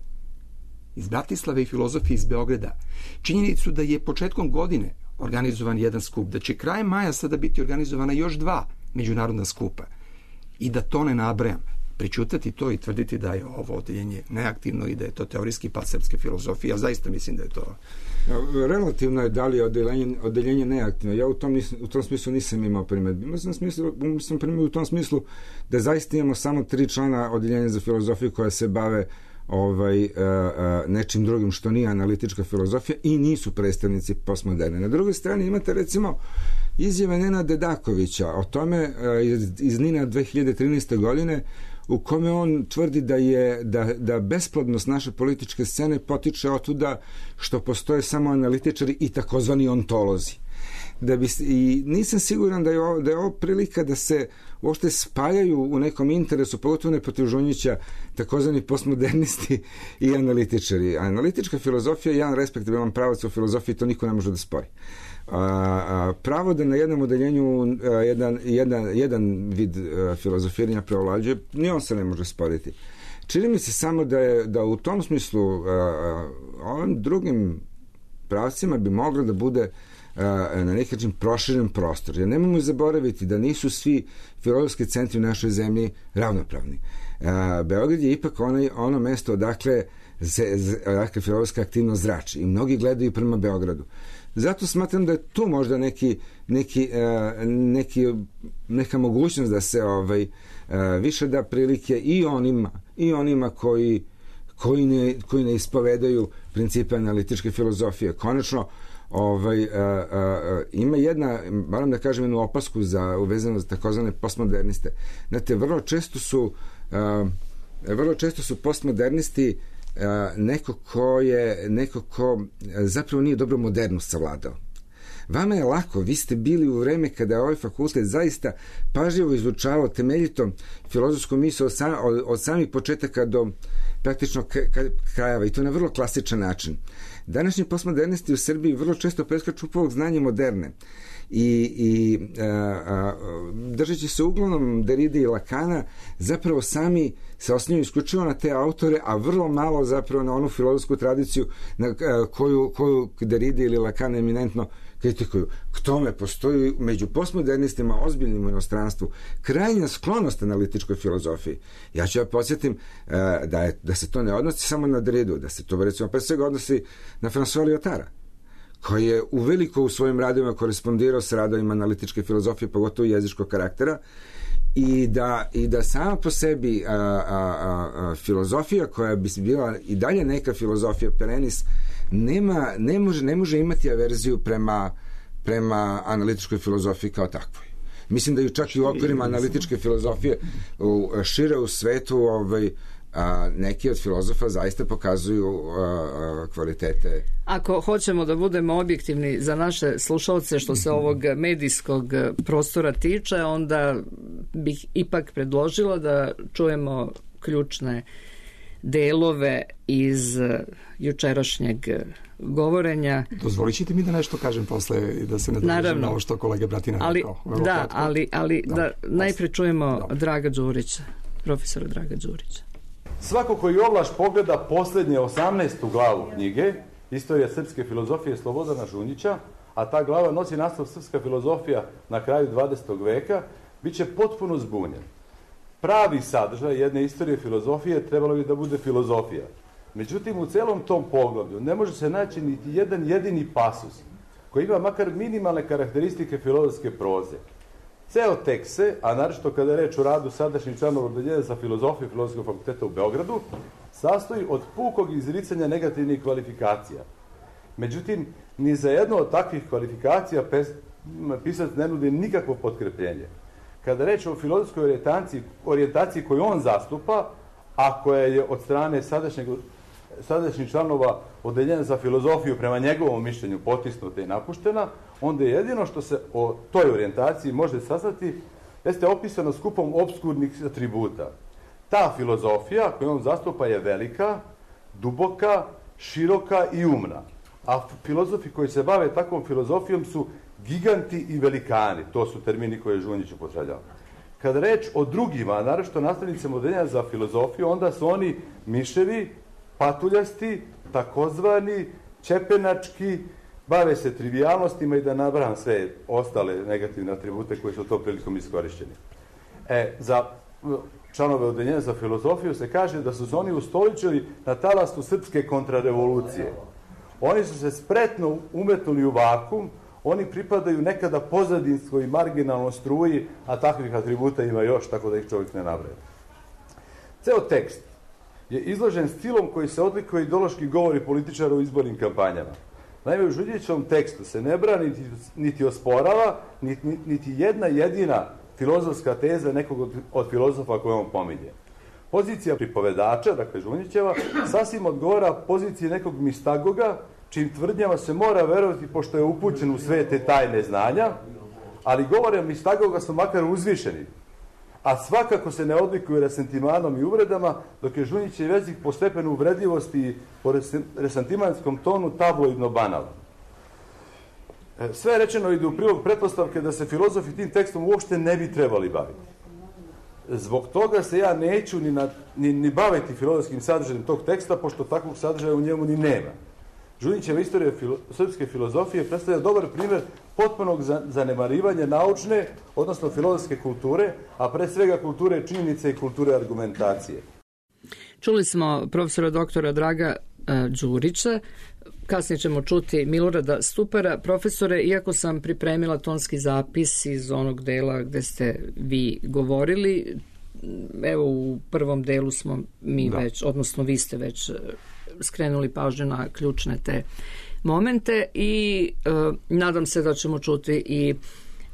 iz Bratislave i filozofi iz Beograda. Činjenicu da je početkom godine organizovan jedan skup, da će krajem maja sada biti organizovana još dva međunarodna skupa. i da to ne nabrajam. Pričutati to i tvrditi da je ovo odeljenje neaktivno i da je to teorijski pad srpske filozofije, ja zaista mislim da je to... Relativno je da li je odeljenje, odeljenje neaktivno. Ja u tom, u tom smislu nisam imao primjedbi. Mislim, smislu, sam primio u tom smislu da zaista imamo samo tri člana odeljenja za filozofiju koja se bave ovaj, uh, uh, nečim drugim što nije analitička filozofija i nisu predstavnici postmoderne. Na drugoj strani imate recimo izjave Nenada Dedakovića o tome uh, iz, iz Nina dve hiljade trinaeste. godine u kome on tvrdi da je da, da besplodnost naše političke scene potiče otuda što postoje samo analitičari i takozvani ontolozi. Da bi, i nisam siguran da je, ovo, da je ovo prilika da se uopšte spaljaju u nekom interesu, pogotovo ne protiv Žunjića, takozvani postmodernisti i analitičari. Analitička filozofija je jedan respektabilan pravac u filozofiji, to niko ne može da spori. A, a, pravo da na jednom odeljenju a, jedan, jedan, jedan vid a, filozofiranja preovlađuje, ni on se ne može sporiti. Čini mi se samo da je da u tom smislu a, a, ovim drugim pravcima bi moglo da bude na neki način proširen prostor. Jer nemojmo zaboraviti da nisu svi filozofski centri u našoj zemlji ravnopravni. Beograd je ipak onaj, ono mesto odakle, odakle filozofska aktivnost zrači i mnogi gledaju prema Beogradu. Zato smatram da je tu možda neki, neki, neki, neka mogućnost da se ovaj, više da prilike i onima, i onima koji, koji, ne, koji ne ispovedaju principe analitičke filozofije. Konačno, Ovaj, a, a, a, ima jedna, moram da kažem jednu opasku za, uvezano za takozvane postmoderniste. Znate, vrlo često su a, vrlo često su postmodernisti a, neko ko je neko ko zapravo nije dobro modernost savladao. Vama je lako, vi ste bili u vreme kada je ovaj fakultet zaista pažljivo izučavao temeljito filozofsku misao od, sam, od, od samih početaka do praktično krajeva i to na vrlo klasičan način. Današnji postmodernisti u Srbiji vrlo često preskaču povog znanja moderne i, i a, a, držeći se uglavnom Derride i Lakana zapravo sami se osnivaju isključivo na te autore, a vrlo malo zapravo na onu filozofsku tradiciju na a, koju, koju Derride ili Lacan eminentno kritikuju. K tome postoji među postmodernistima ozbiljnim u inostranstvu krajnja sklonost analitičkoj filozofiji. Ja ću ja podsjetim uh, da, je, da se to ne odnosi samo na Derridu, da se to recimo pre svega odnosi na François Lyotara, koji je uveliko u svojim radovima korespondirao s radovima analitičke filozofije, pogotovo jezičkog karaktera, i da, i da sama po sebi a, a, a, a, filozofija koja bi bila i dalje neka filozofija perenis nema, ne, može, ne može imati averziju prema, prema analitičkoj filozofiji kao takvoj. Mislim da ju čak i u okvirima analitičke filozofije u, šire u svetu ovaj, a, neki od filozofa zaista pokazuju a, a, kvalitete. Ako hoćemo da budemo objektivni za naše slušalce što se ovog medijskog prostora tiče, onda bih ipak predložila da čujemo ključne delove iz jučerašnjeg govorenja. Dozvolit ćete mi da nešto kažem posle i da se ne dođem na ovo što kolega Bratina ali, rekao. Da, kratko. ali, ali da, da najpre čujemo da. Draga Đurića, profesora Draga Đurića. Svako koji ovlaš pogleda posljednje osamnaestu glavu knjige Istorija srpske filozofije Slobodana Žunjića, a ta glava nosi naslov Srpska filozofija na kraju dvadesetog veka, bit će potpuno zbunjen. Pravi sadržaj jedne istorije filozofije trebalo bi da bude filozofija. Međutim, u celom tom poglavlju ne može se naći niti jedan jedini pasus koji ima makar minimalne karakteristike filozofske proze. Ceo tekst se, a naročito kada je reč o radu sadašnjih članova odeljenja za filozofiju Filozofskog fakulteta u Beogradu, sastoji od pukog izricanja negativnih kvalifikacija. Međutim, ni za jedno od takvih kvalifikacija pisac ne nudi nikakvo potkrepljenje. Kada reč o filozofskoj orijentaciji, orijentaciji koju on zastupa, a koja je od strane sadašnjeg, sadašnjih članova odeljenja za filozofiju prema njegovom mišljenju potisnuta i napuštena, onda je jedino što se o toj orijentaciji može saznati jeste opisano skupom opskurnih atributa. Ta filozofija koju on zastupa je velika, duboka, široka i umna. A filozofi koji se bave takvom filozofijom su giganti i velikani. To su termini koje je Žunjić upotrebljava. Kada reč o drugima, naročito nastavnicima odeljenja za filozofiju, onda su oni miševi, patuljasti, takozvani, čepenački, bave se trivijalnostima i da nabraham sve ostale negativne atribute koji su to prilikom iskorišćeni. E, za članove odeljenja za filozofiju, se kaže da su se oni ustoličili na talastu srpske kontrarevolucije. Oni su se spretno umetnuli u vakum, oni pripadaju nekada pozadinskoj i marginalnoj struji, a takvih atributa ima još, tako da ih čovjek ne nabraja. Ceo tekst je izložen stilom koji se odlikuje ideološki govori političara u izbornim kampanjama. Naime, u Žuljićevom tekstu se ne brani niti, niti osporava, niti, niti jedna jedina filozofska teza nekog od, od filozofa koje on pominje. Pozicija pripovedača, dakle Žunjićeva, sasvim odgovara poziciji nekog mistagoga, čim tvrdnjama se mora verovati pošto je upućen u sve te tajne znanja, ali govore mistagoga su makar uzvišeni, a svakako se ne odlikuju resentimanom i uvredama, dok je Žunjićev jezik po stepenu uvredljivosti i po resentimanskom tonu tabloidno banalan. Sve rečeno ide u prilog pretpostavke da se filozofi tim tekstom uopšte ne bi trebali baviti. Zbog toga se ja neću ni, na, ni, ni baviti filozofskim sadržajem tog teksta, pošto takvog sadržaja u njemu ni nema. Žunjićeva istorija filo, srpske filozofije predstavlja dobar primjer potpunog zanemarivanja naučne, odnosno filozofske kulture, a pre svega kulture činjenice i kulture argumentacije. Čuli smo profesora doktora Draga Đurića, kasnije ćemo čuti Milorada Stupara. Profesore, iako sam pripremila tonski zapis iz onog dela gde ste vi govorili, evo u prvom delu smo mi da. već, odnosno vi ste već skrenuli pažnju na ključne te momente i e, nadam se da ćemo čuti i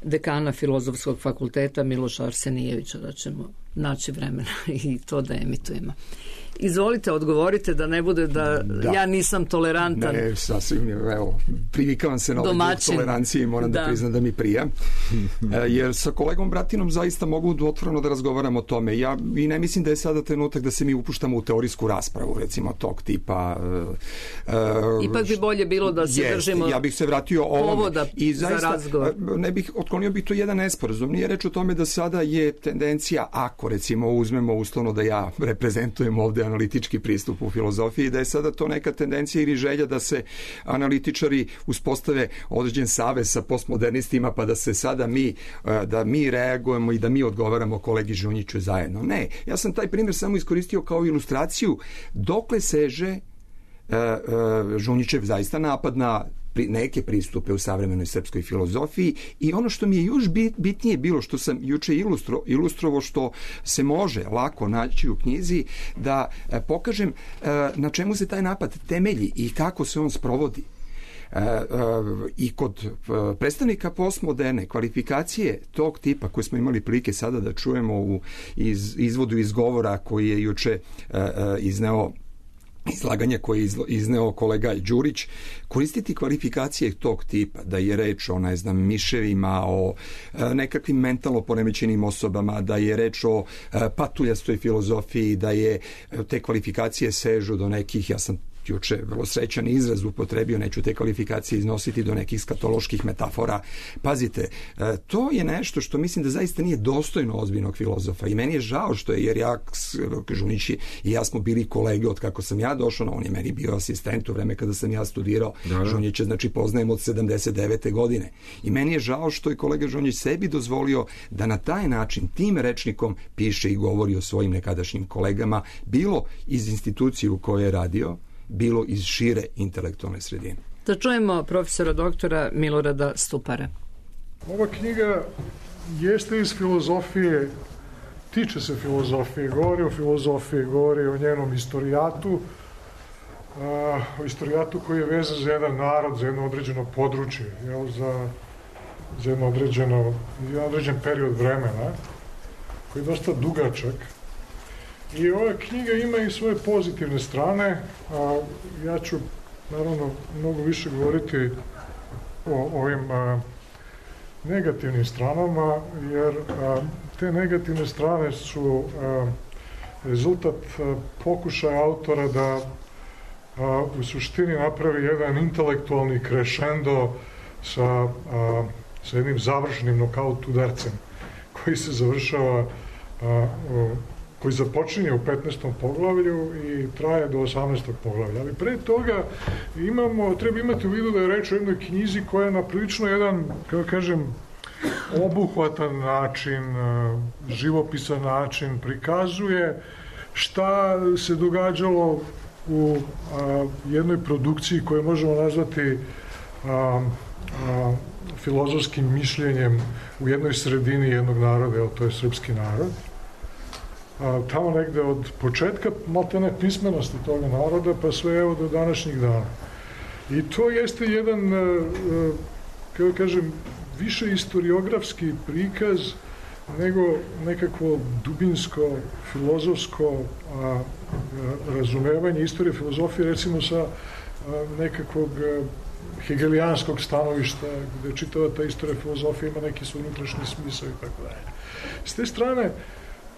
dekana Filozofskog fakulteta Miloša Arsenijevića, da ćemo naći vremena i to da emitujemo. Izvolite, odgovorite da ne bude da, da. ja nisam tolerantan. Ne, sasvim, evo, privikavam se na ovaj tolerancije i moram da, da priznam da mi prija. Jer sa kolegom Bratinom zaista mogu otvoreno da razgovaram o tome. Ja i ne mislim da je sada trenutak da se mi upuštamo u teorijsku raspravu, recimo tog tipa. Uh, Ipak bi bolje bilo da se jest, držimo ja bih se vratio povoda i zaista, za razgovor. Ne bih otklonio bi to jedan nesporazum. Nije reč o tome da sada je tendencija, ako recimo uzmemo uslovno da ja reprezentujem ovde analitički pristup u filozofiji, da je sada to neka tendencija ili želja da se analitičari uspostave određen savez sa postmodernistima, pa da se sada mi, da mi reagujemo i da mi odgovaramo kolegi Žunjiću zajedno. Ne, ja sam taj primjer samo iskoristio kao ilustraciju dokle seže Žunjićev zaista napad na neke pristupe u savremenoj srpskoj filozofiji i ono što mi je još bitnije bilo, što sam juče ilustro, ilustrovao, što se može lako naći u knjizi, da pokažem na čemu se taj napad temelji i kako se on sprovodi. I kod predstavnika postmoderne kvalifikacije tog tipa koje smo imali prilike sada da čujemo u iz, izvodu iz govora koji je juče izneo izlaganje koje je izneo kolega Đurić, koristiti kvalifikacije tog tipa, da je reč o, ne znam, miševima, o nekakvim mentalno poremećenim osobama, da je reč o patuljastoj filozofiji, da je te kvalifikacije sežu do nekih, ja sam juče vrlo srećan izraz upotrebio, neću te kvalifikacije iznositi do nekih skatoloških metafora. Pazite, to je nešto što mislim da zaista nije dostojno ozbiljnog filozofa i meni je žao što je, jer ja, Žunić i ja smo bili kolege od kako sam ja došao, no on je meni bio asistent u vreme kada sam ja studirao. Da, da. Žunića, znači, poznajem od sedamdeset devete godine. I meni je žao što je kolega Žunić sebi dozvolio da na taj način, tim rečnikom piše i govori o svojim nekadašnjim kolegama, bilo iz institucije u kojoj je radio, bilo iz šire intelektualne sredine. Da čujemo profesora doktora Milorada Stupara. Ova knjiga jeste iz filozofije, tiče se filozofije, govori o filozofiji, govori o njenom istorijatu, o istorijatu koji je vezan za jedan narod, za jedno određeno područje, jel, za, za jedno određeno, jedan određen period vremena, koji je dosta dugačak. I ova knjiga ima i svoje pozitivne strane, a ja ću naravno mnogo više govoriti o ovim a, negativnim stranama, jer a, te negativne strane su a, rezultat a, pokušaja autora da a, u suštini napravi jedan intelektualni krešendo sa, a, sa jednim završnim nokaut udarcem koji se završava a, o, koji započinje u petnaestom poglavlju i traje do osamnaestog poglavlja. Ali pre toga imamo, treba imati u vidu da je reč o jednoj knjizi koja je na prilično jedan, kako kažem, obuhvatan način, živopisan način prikazuje šta se događalo u a, jednoj produkciji koju možemo nazvati a, a, filozofskim mišljenjem u jednoj sredini jednog naroda, evo, to je srpski narod. A, tamo negde od početka maltene pismenosti toga naroda pa sve evo do današnjih dana. I to jeste jedan, a, a, kako kažem, više istoriografski prikaz nego nekakvo dubinsko, filozofsko a, a, razumevanje istorije filozofije, recimo sa a, nekakvog a, hegelijanskog stanovišta, gde čitava ta istorija filozofije ima neki svoj unutrašnji smisao i tako dalje. S te strane,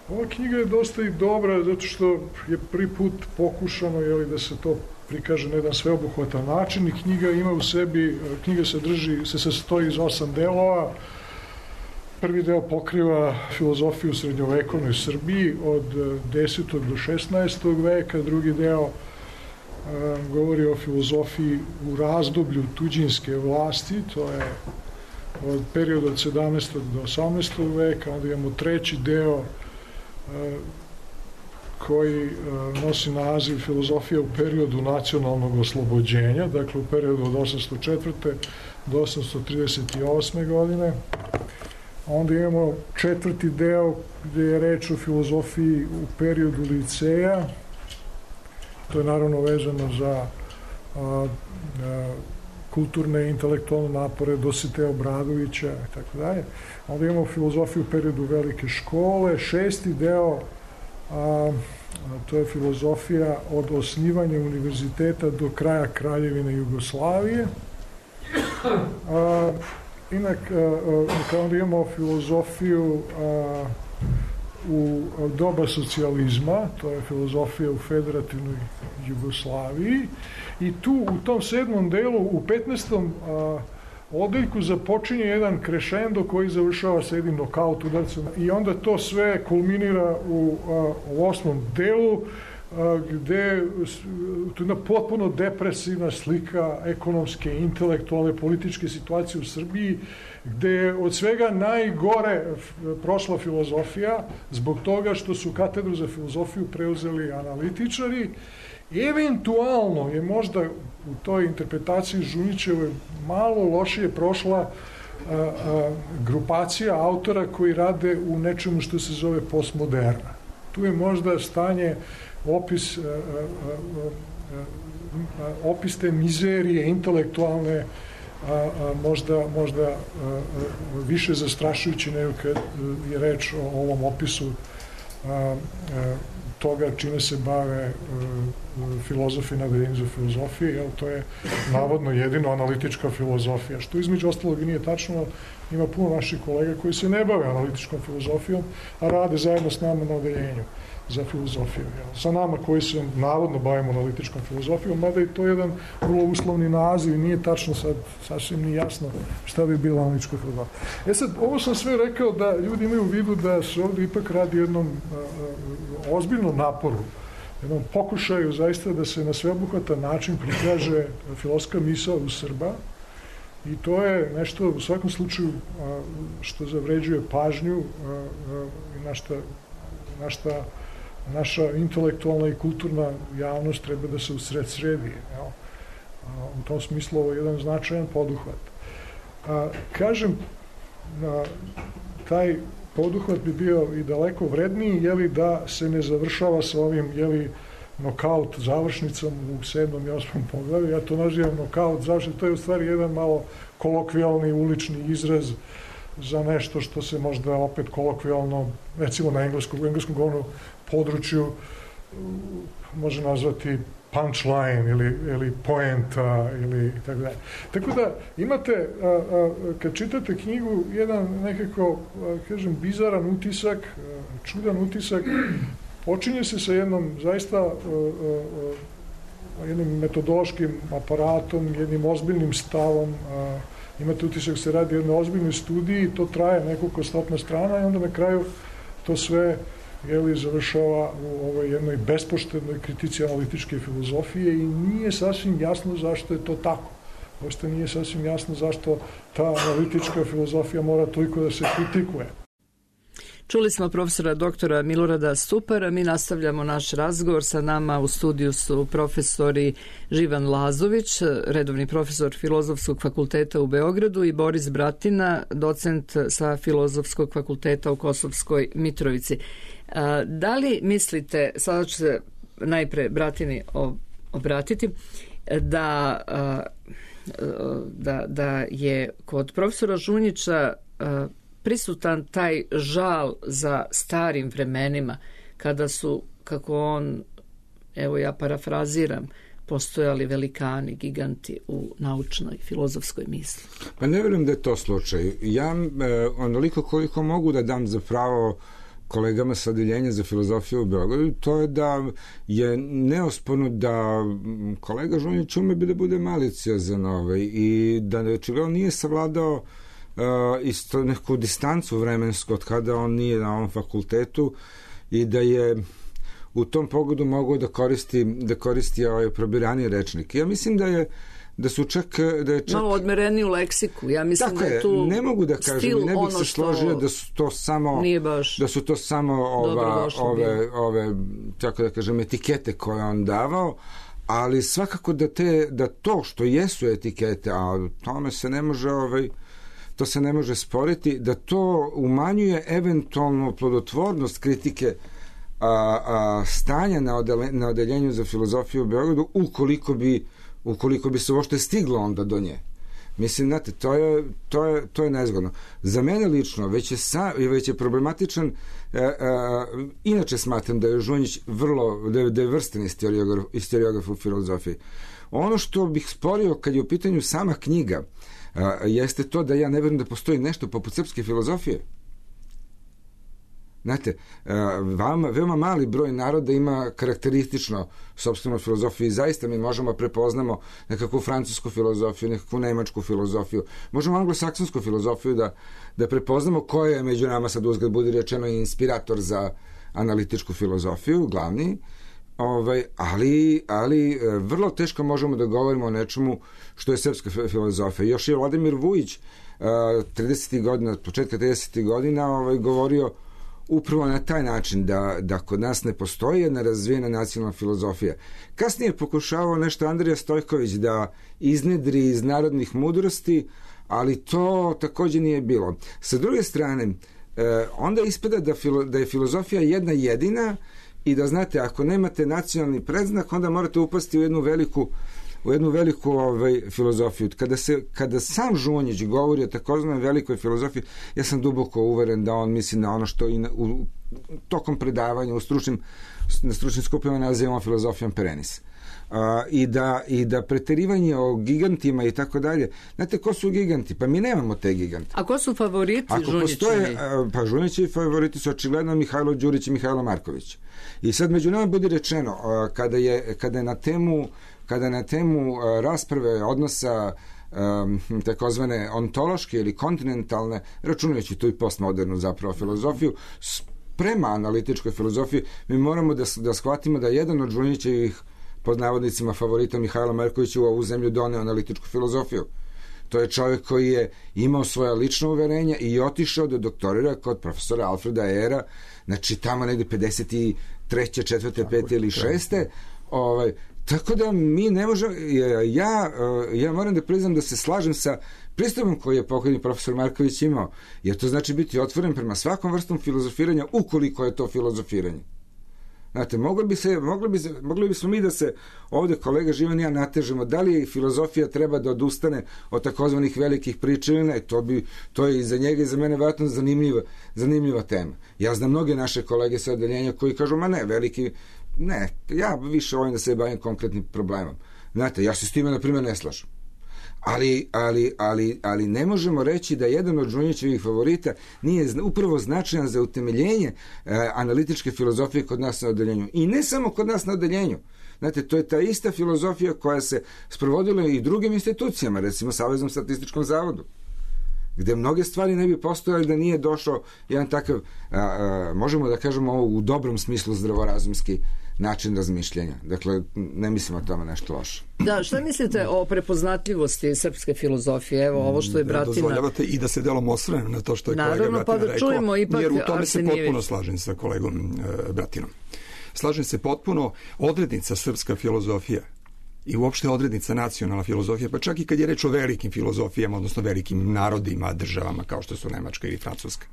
ova knjiga je dosta i dobra, zato što je prvi put pokušano, jeli, da se to prikaže na jedan sveobuhvatan način i knjiga ima u sebi, knjiga se drži, se sastoji iz osam delova. Prvi deo pokriva filozofiju u srednjovekovnoj Srbiji od desetog do šesnaestog veka, drugi deo a, govori o filozofiji u razdoblju tuđinske vlasti, to je od perioda od sedamnaestog do osamnaestog veka, onda imamo treći deo a, koji a, nosi naziv filozofija u periodu nacionalnog oslobođenja, dakle u periodu od osamsto četvrte do osamsto trideset osme godine. Onda imamo četvrti deo gde je reč o filozofiji u periodu liceja. To je naravno vezano za a, a, kulturne i intelektualne napore Dositeja Obradovića i tako dalje. Onda imamo filozofiju u periodu velike škole. Šesti deo, a, a, to je filozofija od osnivanja univerziteta do kraja Kraljevine Jugoslavije. A, Inak, kao onda imamo filozofiju a, u doba socijalizma, to je filozofija u federativnoj Jugoslaviji, i tu u tom sedmom delu, u petnaestom a, odeljku započinje jedan krešendo koji završava sa jednim nokaut udarcem i onda to sve kulminira u, a, u osmom delu, gde tu je jedna potpuno depresivna slika ekonomske, intelektualne, političke situacije u Srbiji, gde je od svega najgore prošla filozofija zbog toga što su katedru za filozofiju preuzeli analitičari. Eventualno je možda u toj interpretaciji Žunićeve malo lošije prošla a, a, grupacija autora koji rade u nečemu što se zove postmoderna. Tu je možda stanje opis, a, a, a, a, opis te mizerije intelektualne a, a, možda, možda a, a, više zastrašujući nego kad je reč o ovom opisu a, a, toga čime se bave a, filozofi na Akademiji za filozofiju, jer to je navodno jedino analitička filozofija, što između ostalog i nije tačno. Ima puno naših kolega koji se ne bave analitičkom filozofijom, a rade zajedno s nama na odeljenju za filozofiju. Jel? Sa nama koji se navodno bavimo analitičkom filozofijom, mada i to je jedan vrlo uslovni naziv i nije tačno sad, sasvim nije jasno šta bi bila analitička filozofija. E sad, ovo sam sve rekao da ljudi imaju u vidu da se ovdje ipak radi jednom a, a, ozbiljnom naporu, jednom pokušaju zaista da se na sveobuhvatan način prikaže filozofska misao u Srba, i to je nešto u svakom slučaju a, što zavređuje pažnju a, a, i na šta, na šta naša intelektualna i kulturna javnost treba da se usred sredi. Jel? A, u tom smislu ovo je jedan značajan poduhvat. A, kažem, a, taj poduhvat bi bio i daleko vredniji, jeli da se ne završava sa ovim, jeli, nokaut završnicom u sedmom i osmom poglavlju. Ja to nazivam nokaut završnicom. To je u stvari jedan malo kolokvijalni ulični izraz za nešto što se možda opet kolokvijalno, recimo na engleskom, u engleskom govornom području može nazvati punchline ili, ili poenta ili tako dalje. Tako da imate, a, a, kad čitate knjigu, jedan nekako, a, kažem, bizaran utisak, a, čudan utisak. Počinje se sa jednom zaista uh, uh, jednim metodološkim aparatom, jednim ozbiljnim stavom. Uh, imate utisak se radi o jednoj ozbiljnoj studiji, to traje nekoliko stotina strana i onda na kraju to sve, jeli, završava u ovoj jednoj bespoštednoj kritici analitičke filozofije i nije sasvim jasno zašto je to tako. Ošte nije sasvim jasno zašto ta analitička filozofija mora toliko da se kritikuje. Čuli smo profesora doktora Milorada Stupara, mi nastavljamo naš razgovor. Sa nama u studiju su profesori Živan Lazović, redovni profesor Filozofskog fakulteta u Beogradu, i Boris Bratina, docent sa Filozofskog fakulteta u Kosovskoj Mitrovici. Da li mislite, sada ću se najpre Bratini obratiti, da, da, da je kod profesora Žunjića prisutan taj žal za starim vremenima, kada su, kako on, evo ja parafraziram, postojali velikani, giganti u naučnoj, filozofskoj misli? Pa ne vjerujem da je to slučaj. Ja onoliko koliko mogu da dam za pravo kolegama sa odeljenja za filozofiju u Beogradu, to je da je neosporno da kolega Žunjić ume bi da bude maliciozan ovaj, i da očigledno nije savladao uh, isto neku distancu vremensku od kada on nije na ovom fakultetu i da je u tom pogledu mogao da koristi, da koristi ovaj probirani rečnik. Ja mislim da je da su čak da je čak malo odmereniju leksiku. Ja mislim tako da je tu ne mogu da kažem, ne bih se složio da su to samo da su to samo ova, ove ove tako da kažem etikete koje on davao, ali svakako da te da to što jesu etikete, a tome se ne može ovaj to se ne može sporiti, da to umanjuje eventualnu plodotvornost kritike a, a, stanja na, odele, na odeljenju za filozofiju u Beogradu, ukoliko bi ukoliko bi se uopšte stiglo onda do nje. Mislim, znate, to je, to je, to je nezgodno. Za mene lično, već je, sa, već je problematičan, e, e, inače smatram da je Žunjić vrlo, da je, da je vrstan historiograf, historiograf u filozofiji. Ono što bih sporio kad je u pitanju sama knjiga, e, jeste to da ja ne vjerujem da postoji nešto poput srpske filozofije. Znate, veoma, veoma mali broj naroda ima karakteristično sopstvenu filozofiju i zaista mi možemo prepoznamo nekakvu francusku filozofiju, nekakvu nemačku filozofiju, možemo anglosaksonsku filozofiju da, da prepoznamo ko je među nama, sad uzgled budi rečeno, inspirator za analitičku filozofiju, glavni, ovaj, ali, ali vrlo teško možemo da govorimo o nečemu što je srpska filozofija. Još je Vladimir Vujić tridesetih godina, početka tridesetih godina ovaj, govorio upravo na taj način da, da kod nas ne postoji jedna razvijena nacionalna filozofija. Kasnije pokušavao nešto Andrija Stojković da iznedri iz narodnih mudrosti, ali to također nije bilo. Sa druge strane, eh, onda ispada da, filo, da je filozofija jedna jedina i da, znate, ako nemate nacionalni predznak, onda morate upasti u jednu veliku u jednu veliku ovaj, filozofiju. Kada, se, kada sam Žunjić govori o takozvanoj velikoj filozofiji, ja sam duboko uveren da on misli na ono što i na, u, tokom predavanja u stručnim, na stručnim skupima nazivamo filozofijom perenis. Uh, i, da, i da preterivanje o gigantima i tako dalje. Znate, ko su giganti? Pa mi nemamo te gigante. A ko su favoriti Žunjićevi? Uh, pa Žunjićevi favoriti su očigledno Mihajlo Đurić i Mihajlo Marković. I sad među nama bude rečeno, uh, kada, je, kada je na temu kada na temu uh, rasprave odnosa um, takozvane ontološke ili kontinentalne, računajući tu i postmodernu zapravo filozofiju, prema analitičkoj filozofiji, mi moramo da, da shvatimo da jedan od Žunjićevih pod navodnicima favorita Mihajla Markovića u ovu zemlju doneo analitičku filozofiju. To je čovjek koji je imao svoja lična uverenja i otišao da doktorira kod profesora Alfreda Ehera, znači tamo negde pedeset treće, četvrte, pete ili šeste. Ovaj, tako da mi ne možemo, ja, ja moram da priznam da se slažem sa pristupom koji je pokojni profesor Marković imao, jer to znači biti otvoren prema svakom vrstom filozofiranja, ukoliko je to filozofiranje. Znate, mogli bi se, mogli bi se, mogli bismo mi da se ovde kolega Živan i ja natežemo, da li filozofija treba da odustane od takozvanih velikih priča ili ne, to, bi, to je i za njega i za mene vjerojatno zanimljiva, zanimljiva tema. Ja znam mnoge naše kolege sa odeljenja koji kažu, ma ne, veliki, ne, ja više volim da se bavim konkretnim problemom. Znate, ja se s time, na primjer, ne slažem. Ali, ali, ali, ali ne možemo reći da jedan od Žunjićevih favorita nije upravo značajan za utemeljenje e, analitičke filozofije kod nas na odeljenju. I ne samo kod nas na odeljenju. Znate, to je ta ista filozofija koja se sprovodila i drugim institucijama, recimo Saveznom statističkom zavodu, gde mnoge stvari ne bi postojali da nije došao jedan takav, a, a, možemo da kažemo ovo u dobrom smislu zdravorazumski, način razmišljanja. Dakle, ne mislim o tome nešto loše. Da, šta mislite o prepoznatljivosti srpske filozofije? Evo, ovo što je Bratina... Dozvoljavate i da se delom osvrnem na to što je Naravno, kolega Bratina pa da rekao, čujemo ipak jer u tome se Arsenijević. potpuno slažem sa kolegom e, Bratinom. Slažem se potpuno, odrednica srpska filozofija i uopšte odrednica nacionalna filozofija, pa čak i kad je reč o velikim filozofijama, odnosno velikim narodima, državama kao što su Nemačka ili Francuska.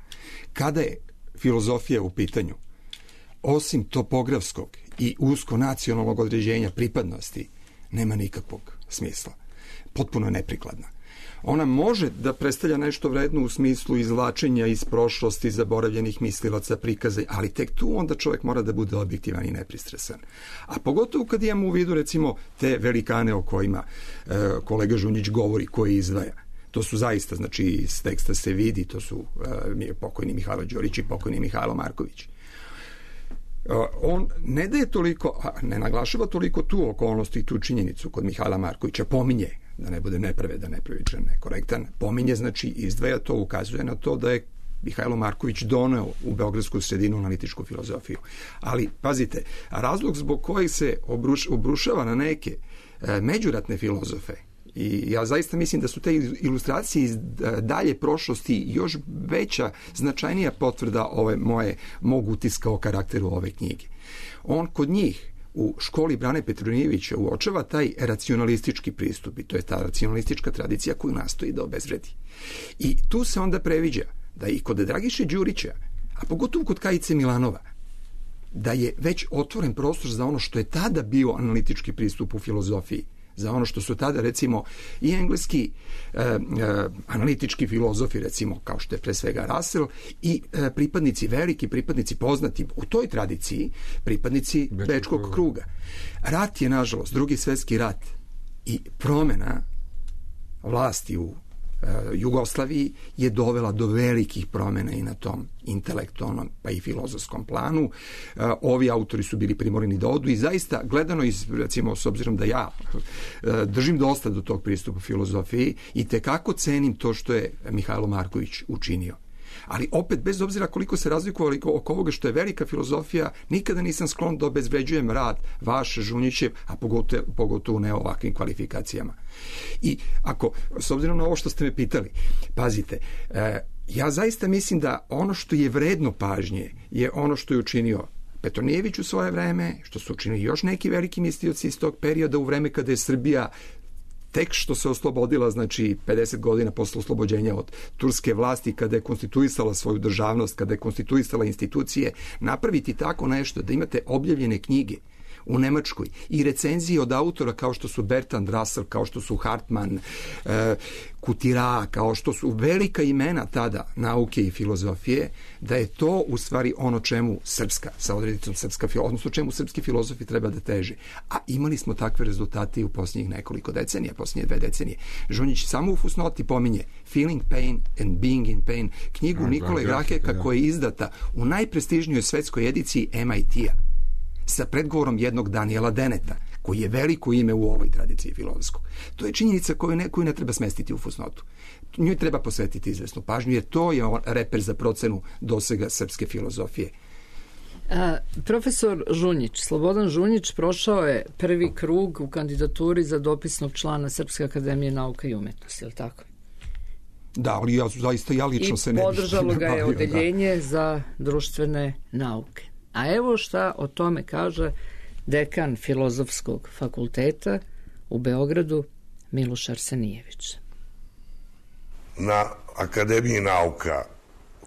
Kada je filozofija u pitanju, osim topografskog i usko nacionalnog određenja pripadnosti, nema nikakvog smisla. Potpuno je neprikladna. Ona može da predstavlja nešto vredno u smislu izvlačenja iz prošlosti, zaboravljenih mislilaca, prikaza, ali tek tu onda čovjek mora da bude objektivan i nepristrasan. A pogotovo kad imamo u vidu, recimo, te velikane o kojima e, kolega Žunjić govori, koji izdvaja. To su zaista, znači, iz teksta se vidi, to su e, pokojni Mihajlo Đorić i pokojni Mihajlo Marković. On ne daje toliko, ne naglašava toliko tu okolnost i tu činjenicu kod Mihajla Markovića, pominje, da ne bude nepravedan, nepravičan, nekorektan, pominje, znači izdvaja to, ukazuje na to da je Mihajlo Marković doneo u beogradsku sredinu analitičku filozofiju. Ali, pazite, razlog zbog kojeg se obruš, obrušava na neke e, međuratne filozofe, i ja zaista mislim da su te ilustracije iz dalje prošlosti još veća, značajnija potvrda ove moje, mog utiska o karakteru ove knjige. On kod njih u školi Brane Petronijevića uočava taj racionalistički pristup i to je ta racionalistička tradicija koju nastoji da obezvredi. I tu se onda previđa da i kod Dragiše Đurića, a pogotovo kod Kajice Milanova, da je već otvoren prostor za ono što je tada bio analitički pristup u filozofiji, za ono što su tada, recimo, i engleski e, e, analitički filozofi, recimo, kao što je pre svega Russell, i e, pripadnici, veliki pripadnici poznati u toj tradiciji, pripadnici Bečkog, Bečkog kruga. Rat je, nažalost, drugi svetski rat i promena vlasti u Jugoslaviji je dovela do velikih promjena i na tom intelektualnom pa i filozofskom planu. Ovi autori su bili primorani da odu i zaista gledano iz, recimo, s obzirom da ja držim dosta do tog pristupa filozofiji i tekako cenim to što je Mihajlo Marković učinio. Ali opet, bez obzira koliko se razlikovali oko ovoga što je velika filozofija, nikada nisam sklon da obezvređujem rad vaš, Žunjićev, a pogotovo, pogotovo ne ovakvim kvalifikacijama. I ako, s obzirom na ovo što ste me pitali, pazite, e, ja zaista mislim da ono što je vredno pažnje je ono što je učinio Petronijević u svoje vreme, što su učinili još neki veliki mislioci iz tog perioda u vreme kada je Srbija tek što se oslobodila, znači pedeset godina posle oslobođenja od turske vlasti, kada je konstituisala svoju državnost, kada je konstituisala institucije, napraviti tako nešto da imate objavljene knjige u Nemačkoj i recenzije od autora kao što su Bertrand Russell, kao što su Hartmann, e, Kutira, kao što su velika imena tada nauke i filozofije, da je to u stvari ono čemu srpska, sa odredicom srpska, odnosno čemu srpski filozofi treba da teže. A imali smo takve rezultate i u posljednjih nekoliko decenija, posljednje dve decenije. Žunjić samo u fusnoti pominje Feeling Pain and Being in Pain, knjigu A, Nikole Graheka koja je izdata u najprestižnijoj svetskoj ediciji em i te-a sa predgovorom jednog Daniela Deneta, koji je veliko ime u ovoj tradiciji filozofskog. To je činjenica koju ne, koju ne treba smestiti u fusnotu. Njoj treba posvetiti izvesnu pažnju, jer to je reper za procenu dosega srpske filozofije. A, profesor Žunjić, Slobodan Žunjić, prošao je prvi krug u kandidaturi za dopisnog člana Srpske akademije nauka i umetnosti, je li tako? Da, ali ja zaista ja lično I se ne bih... I podržalo ga je odeljenje da. za društvene nauke. A evo šta o tome kaže dekan Filozofskog fakulteta u Beogradu, Miloš Arsenijević. Na Akademiji nauka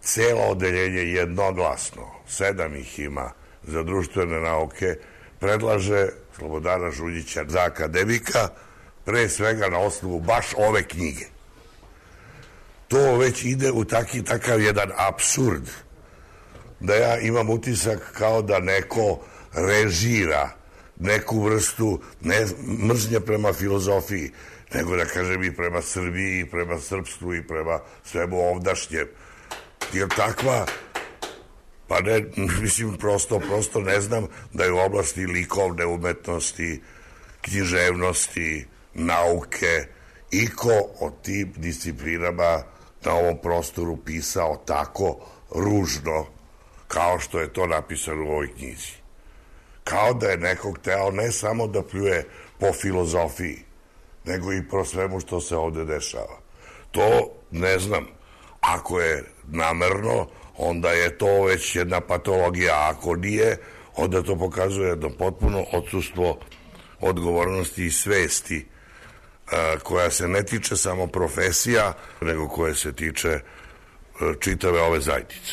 celo odeljenje jednoglasno, sedam ih ima za društvene nauke, predlaže Slobodana Žunjića za akademika, pre svega na osnovu baš ove knjige. To već ide u taki, takav jedan apsurd, da ja imam utisak kao da neko režira neku vrstu ne mržnje prema filozofiji, nego da kažem i prema Srbiji, i prema srpstvu, i prema svemu ovdašnjem. Jer takva, pa ne, mislim, prosto, prosto ne znam da je u oblasti likovne umetnosti, književnosti, nauke, iko o tim disciplinama na ovom prostoru pisao tako ružno kao što je to napisano u ovoj knjizi. Kao da je nekog teo ne samo da pljuje po filozofiji, nego i po svemu što se ovde dešava. To ne znam. Ako je namerno, onda je to već jedna patologija, a ako nije, onda to pokazuje jedno potpuno odsustvo odgovornosti i svesti koja se ne tiče samo profesija, nego koje se tiče čitave ove zajednice.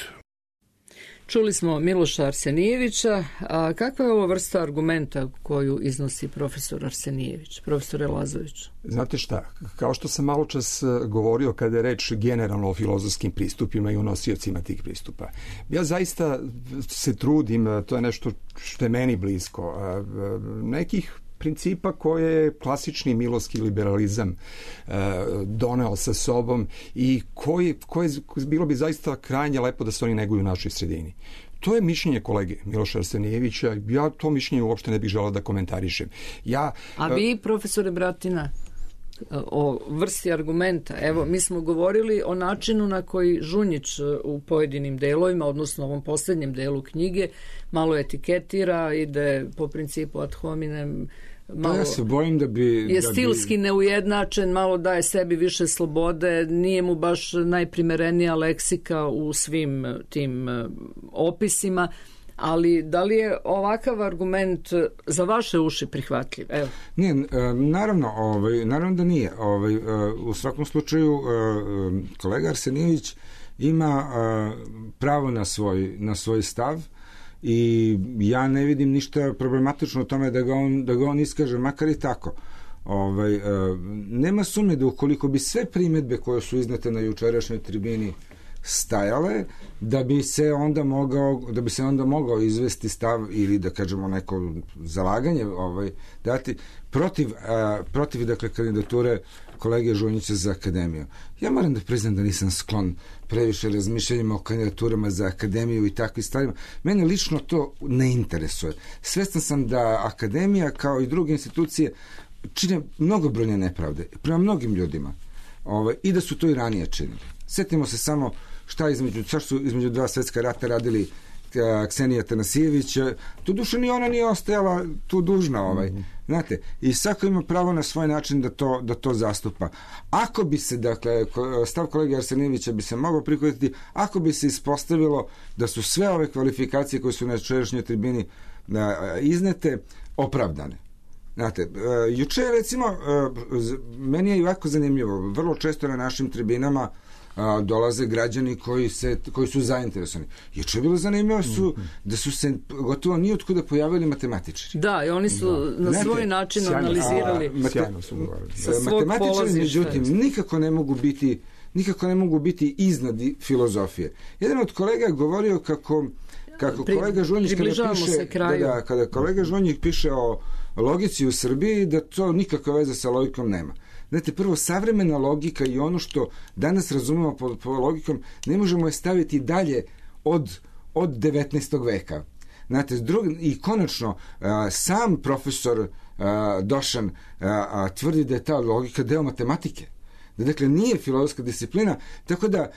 Čuli smo Miloša Arsenijevića, a kakva je ovo vrsta argumenta koju iznosi profesor Arsenijević, profesore Lazović? Znate šta, kao što sam malo čas govorio kada je reč generalno o filozofskim pristupima i o nosiocima tih pristupa, ja zaista se trudim, to je nešto što je meni blisko, nekih principa koje je klasični milovski liberalizam e, doneo sa sobom i koji, koje bilo bi zaista krajnje lepo da se oni neguju u našoj sredini. To je mišljenje kolege Miloša Arsenijevića. Ja to mišljenje uopšte ne bih želeo da komentarišem. Ja, A vi, profesore Bratina, o vrsti argumenta. Evo, mi smo govorili o načinu na koji Žunjić u pojedinim delovima, odnosno ovom posljednjem delu knjige, malo etiketira, ide po principu ad hominem, malo pa ja se bojim da bi... je da stilski bi... neujednačen, malo daje sebi više slobode, nije mu baš najprimerenija leksika u svim tim opisima, ali da li je ovakav argument za vaše uši prihvatljiv? Evo. Nije, naravno, ovaj, naravno da nije. Ovaj, u svakom slučaju, kolega Arsenijević ima pravo na svoj, na svoj stav i ja ne vidim ništa problematično u tome da ga on, da ga on iskaže, makar i tako. Ovaj, nema sumnje da ukoliko bi sve primjedbe koje su iznete na jučerašnjoj tribini stajale, da bi se onda mogao da bi se onda mogao izvesti stav ili da kažemo neko zalaganje ovaj dati protiv a, protiv dakle kandidature kolege Žunjića za akademiju. Ja moram da priznam da nisam sklon previše razmišljanjima o kandidaturama za akademiju i takvim stvarima. Mene lično to ne interesuje. Svestan sam da akademija kao i druge institucije čine mnogobrojne nepravde prema mnogim ljudima. Ovaj, i da su to i ranije činili. Sjetimo se samo šta između, šta su između dva svetska rata radili Ksenija Tanasijević, tu duše ni ona nije ostajala tu dužna, ovaj. Mm-hmm. Znate, i svako ima pravo na svoj način da to, da to zastupa. Ako bi se, dakle, stav kolege Arsenijevića bi se mogao prihvatiti, ako bi se ispostavilo da su sve ove kvalifikacije koje su na jučerašnjoj tribini iznete opravdane. Znate, juče recimo, meni je jako zanimljivo, vrlo često na našim tribinama a, dolaze građani koji, se, koji su zainteresovani. Juče je bilo zanimljivo su, da su se gotovo nijotkuda pojavili matematičari. Da, i oni su da. na Znate, svoj način sjajno, analizirali. A, mate, sjajno su govorili. Matematičari, međutim, nikako ne mogu biti nikako ne mogu biti iznad filozofije. Jedan od kolega je govorio kako, kako Pri, kolega Žunjić kada piše, da, da, kada kolega Žunjić piše o logici u Srbiji, da to nikakve veze sa logikom nema. Znate, prvo, savremena logika i ono što danas razumemo po, po logikom, ne možemo je staviti dalje od, od devetnaestog veka. Znate, drug, i konačno, a, sam profesor a, Došan a, a, tvrdi da je ta logika deo matematike. Da, dakle, nije filozofska disciplina, tako da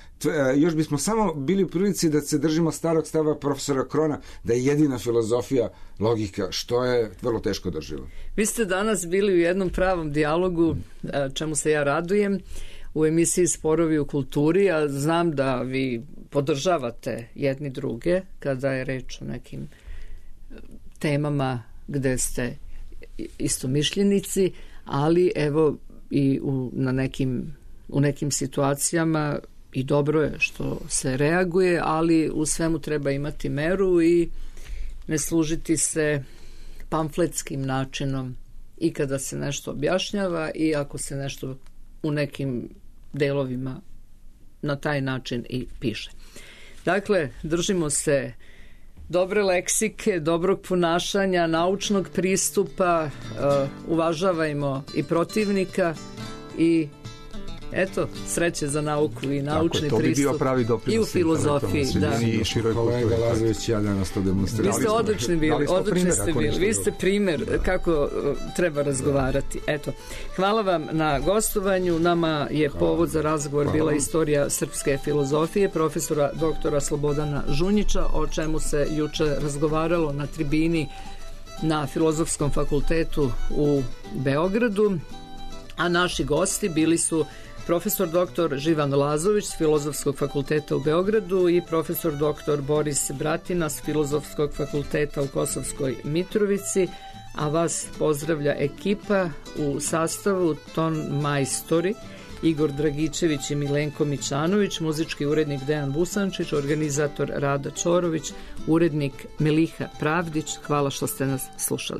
još bismo samo bili u prilici da se držimo starog stava profesora Krona, da je jedina filozofija logika, što je vrlo teško drživo. Vi ste danas bili u jednom pravom dijalogu, čemu se ja radujem, u emisiji Sporovi u kulturi, a znam da vi podržavate jedni druge kada je reč o nekim temama gde ste istomišljenici, ali evo i u, na nekim, u nekim situacijama i dobro je što se reaguje, ali u svemu treba imati meru i ne služiti se pamfletskim načinom i kada se nešto objašnjava i ako se nešto u nekim delovima na taj način i piše. Dakle, držimo se dobre leksike, dobrog ponašanja, naučnog pristupa, uh, uvažavajmo i protivnika i eto, sreće za nauku i naučni Tako, pristup bi i u filozofiji. Da. I kolega Lazović, ja danas to demonstrirali. Vi ste odlični bili, odlični ste bili. Vi ste primjer da. kako treba razgovarati. Eto, hvala vam na gostovanju. Nama je hvala. povod za razgovor hvala. bila istorija srpske filozofije profesora doktora Slobodana Žunjića, o čemu se juče razgovaralo na tribini na Filozofskom fakultetu u Beogradu, a naši gosti bili su profesor doktor Živan Lazović s Filozofskog fakulteta u Beogradu i profesor doktor Boris Bratina s Filozofskog fakulteta u Kosovskoj Mitrovici, a vas pozdravlja ekipa u sastavu ton majstori Igor Dragičević i Milenko Mićanović, muzički urednik Dejan Busančić, organizator Rada Čorović, urednik Meliha Pravdić. Hvala što ste nas slušali.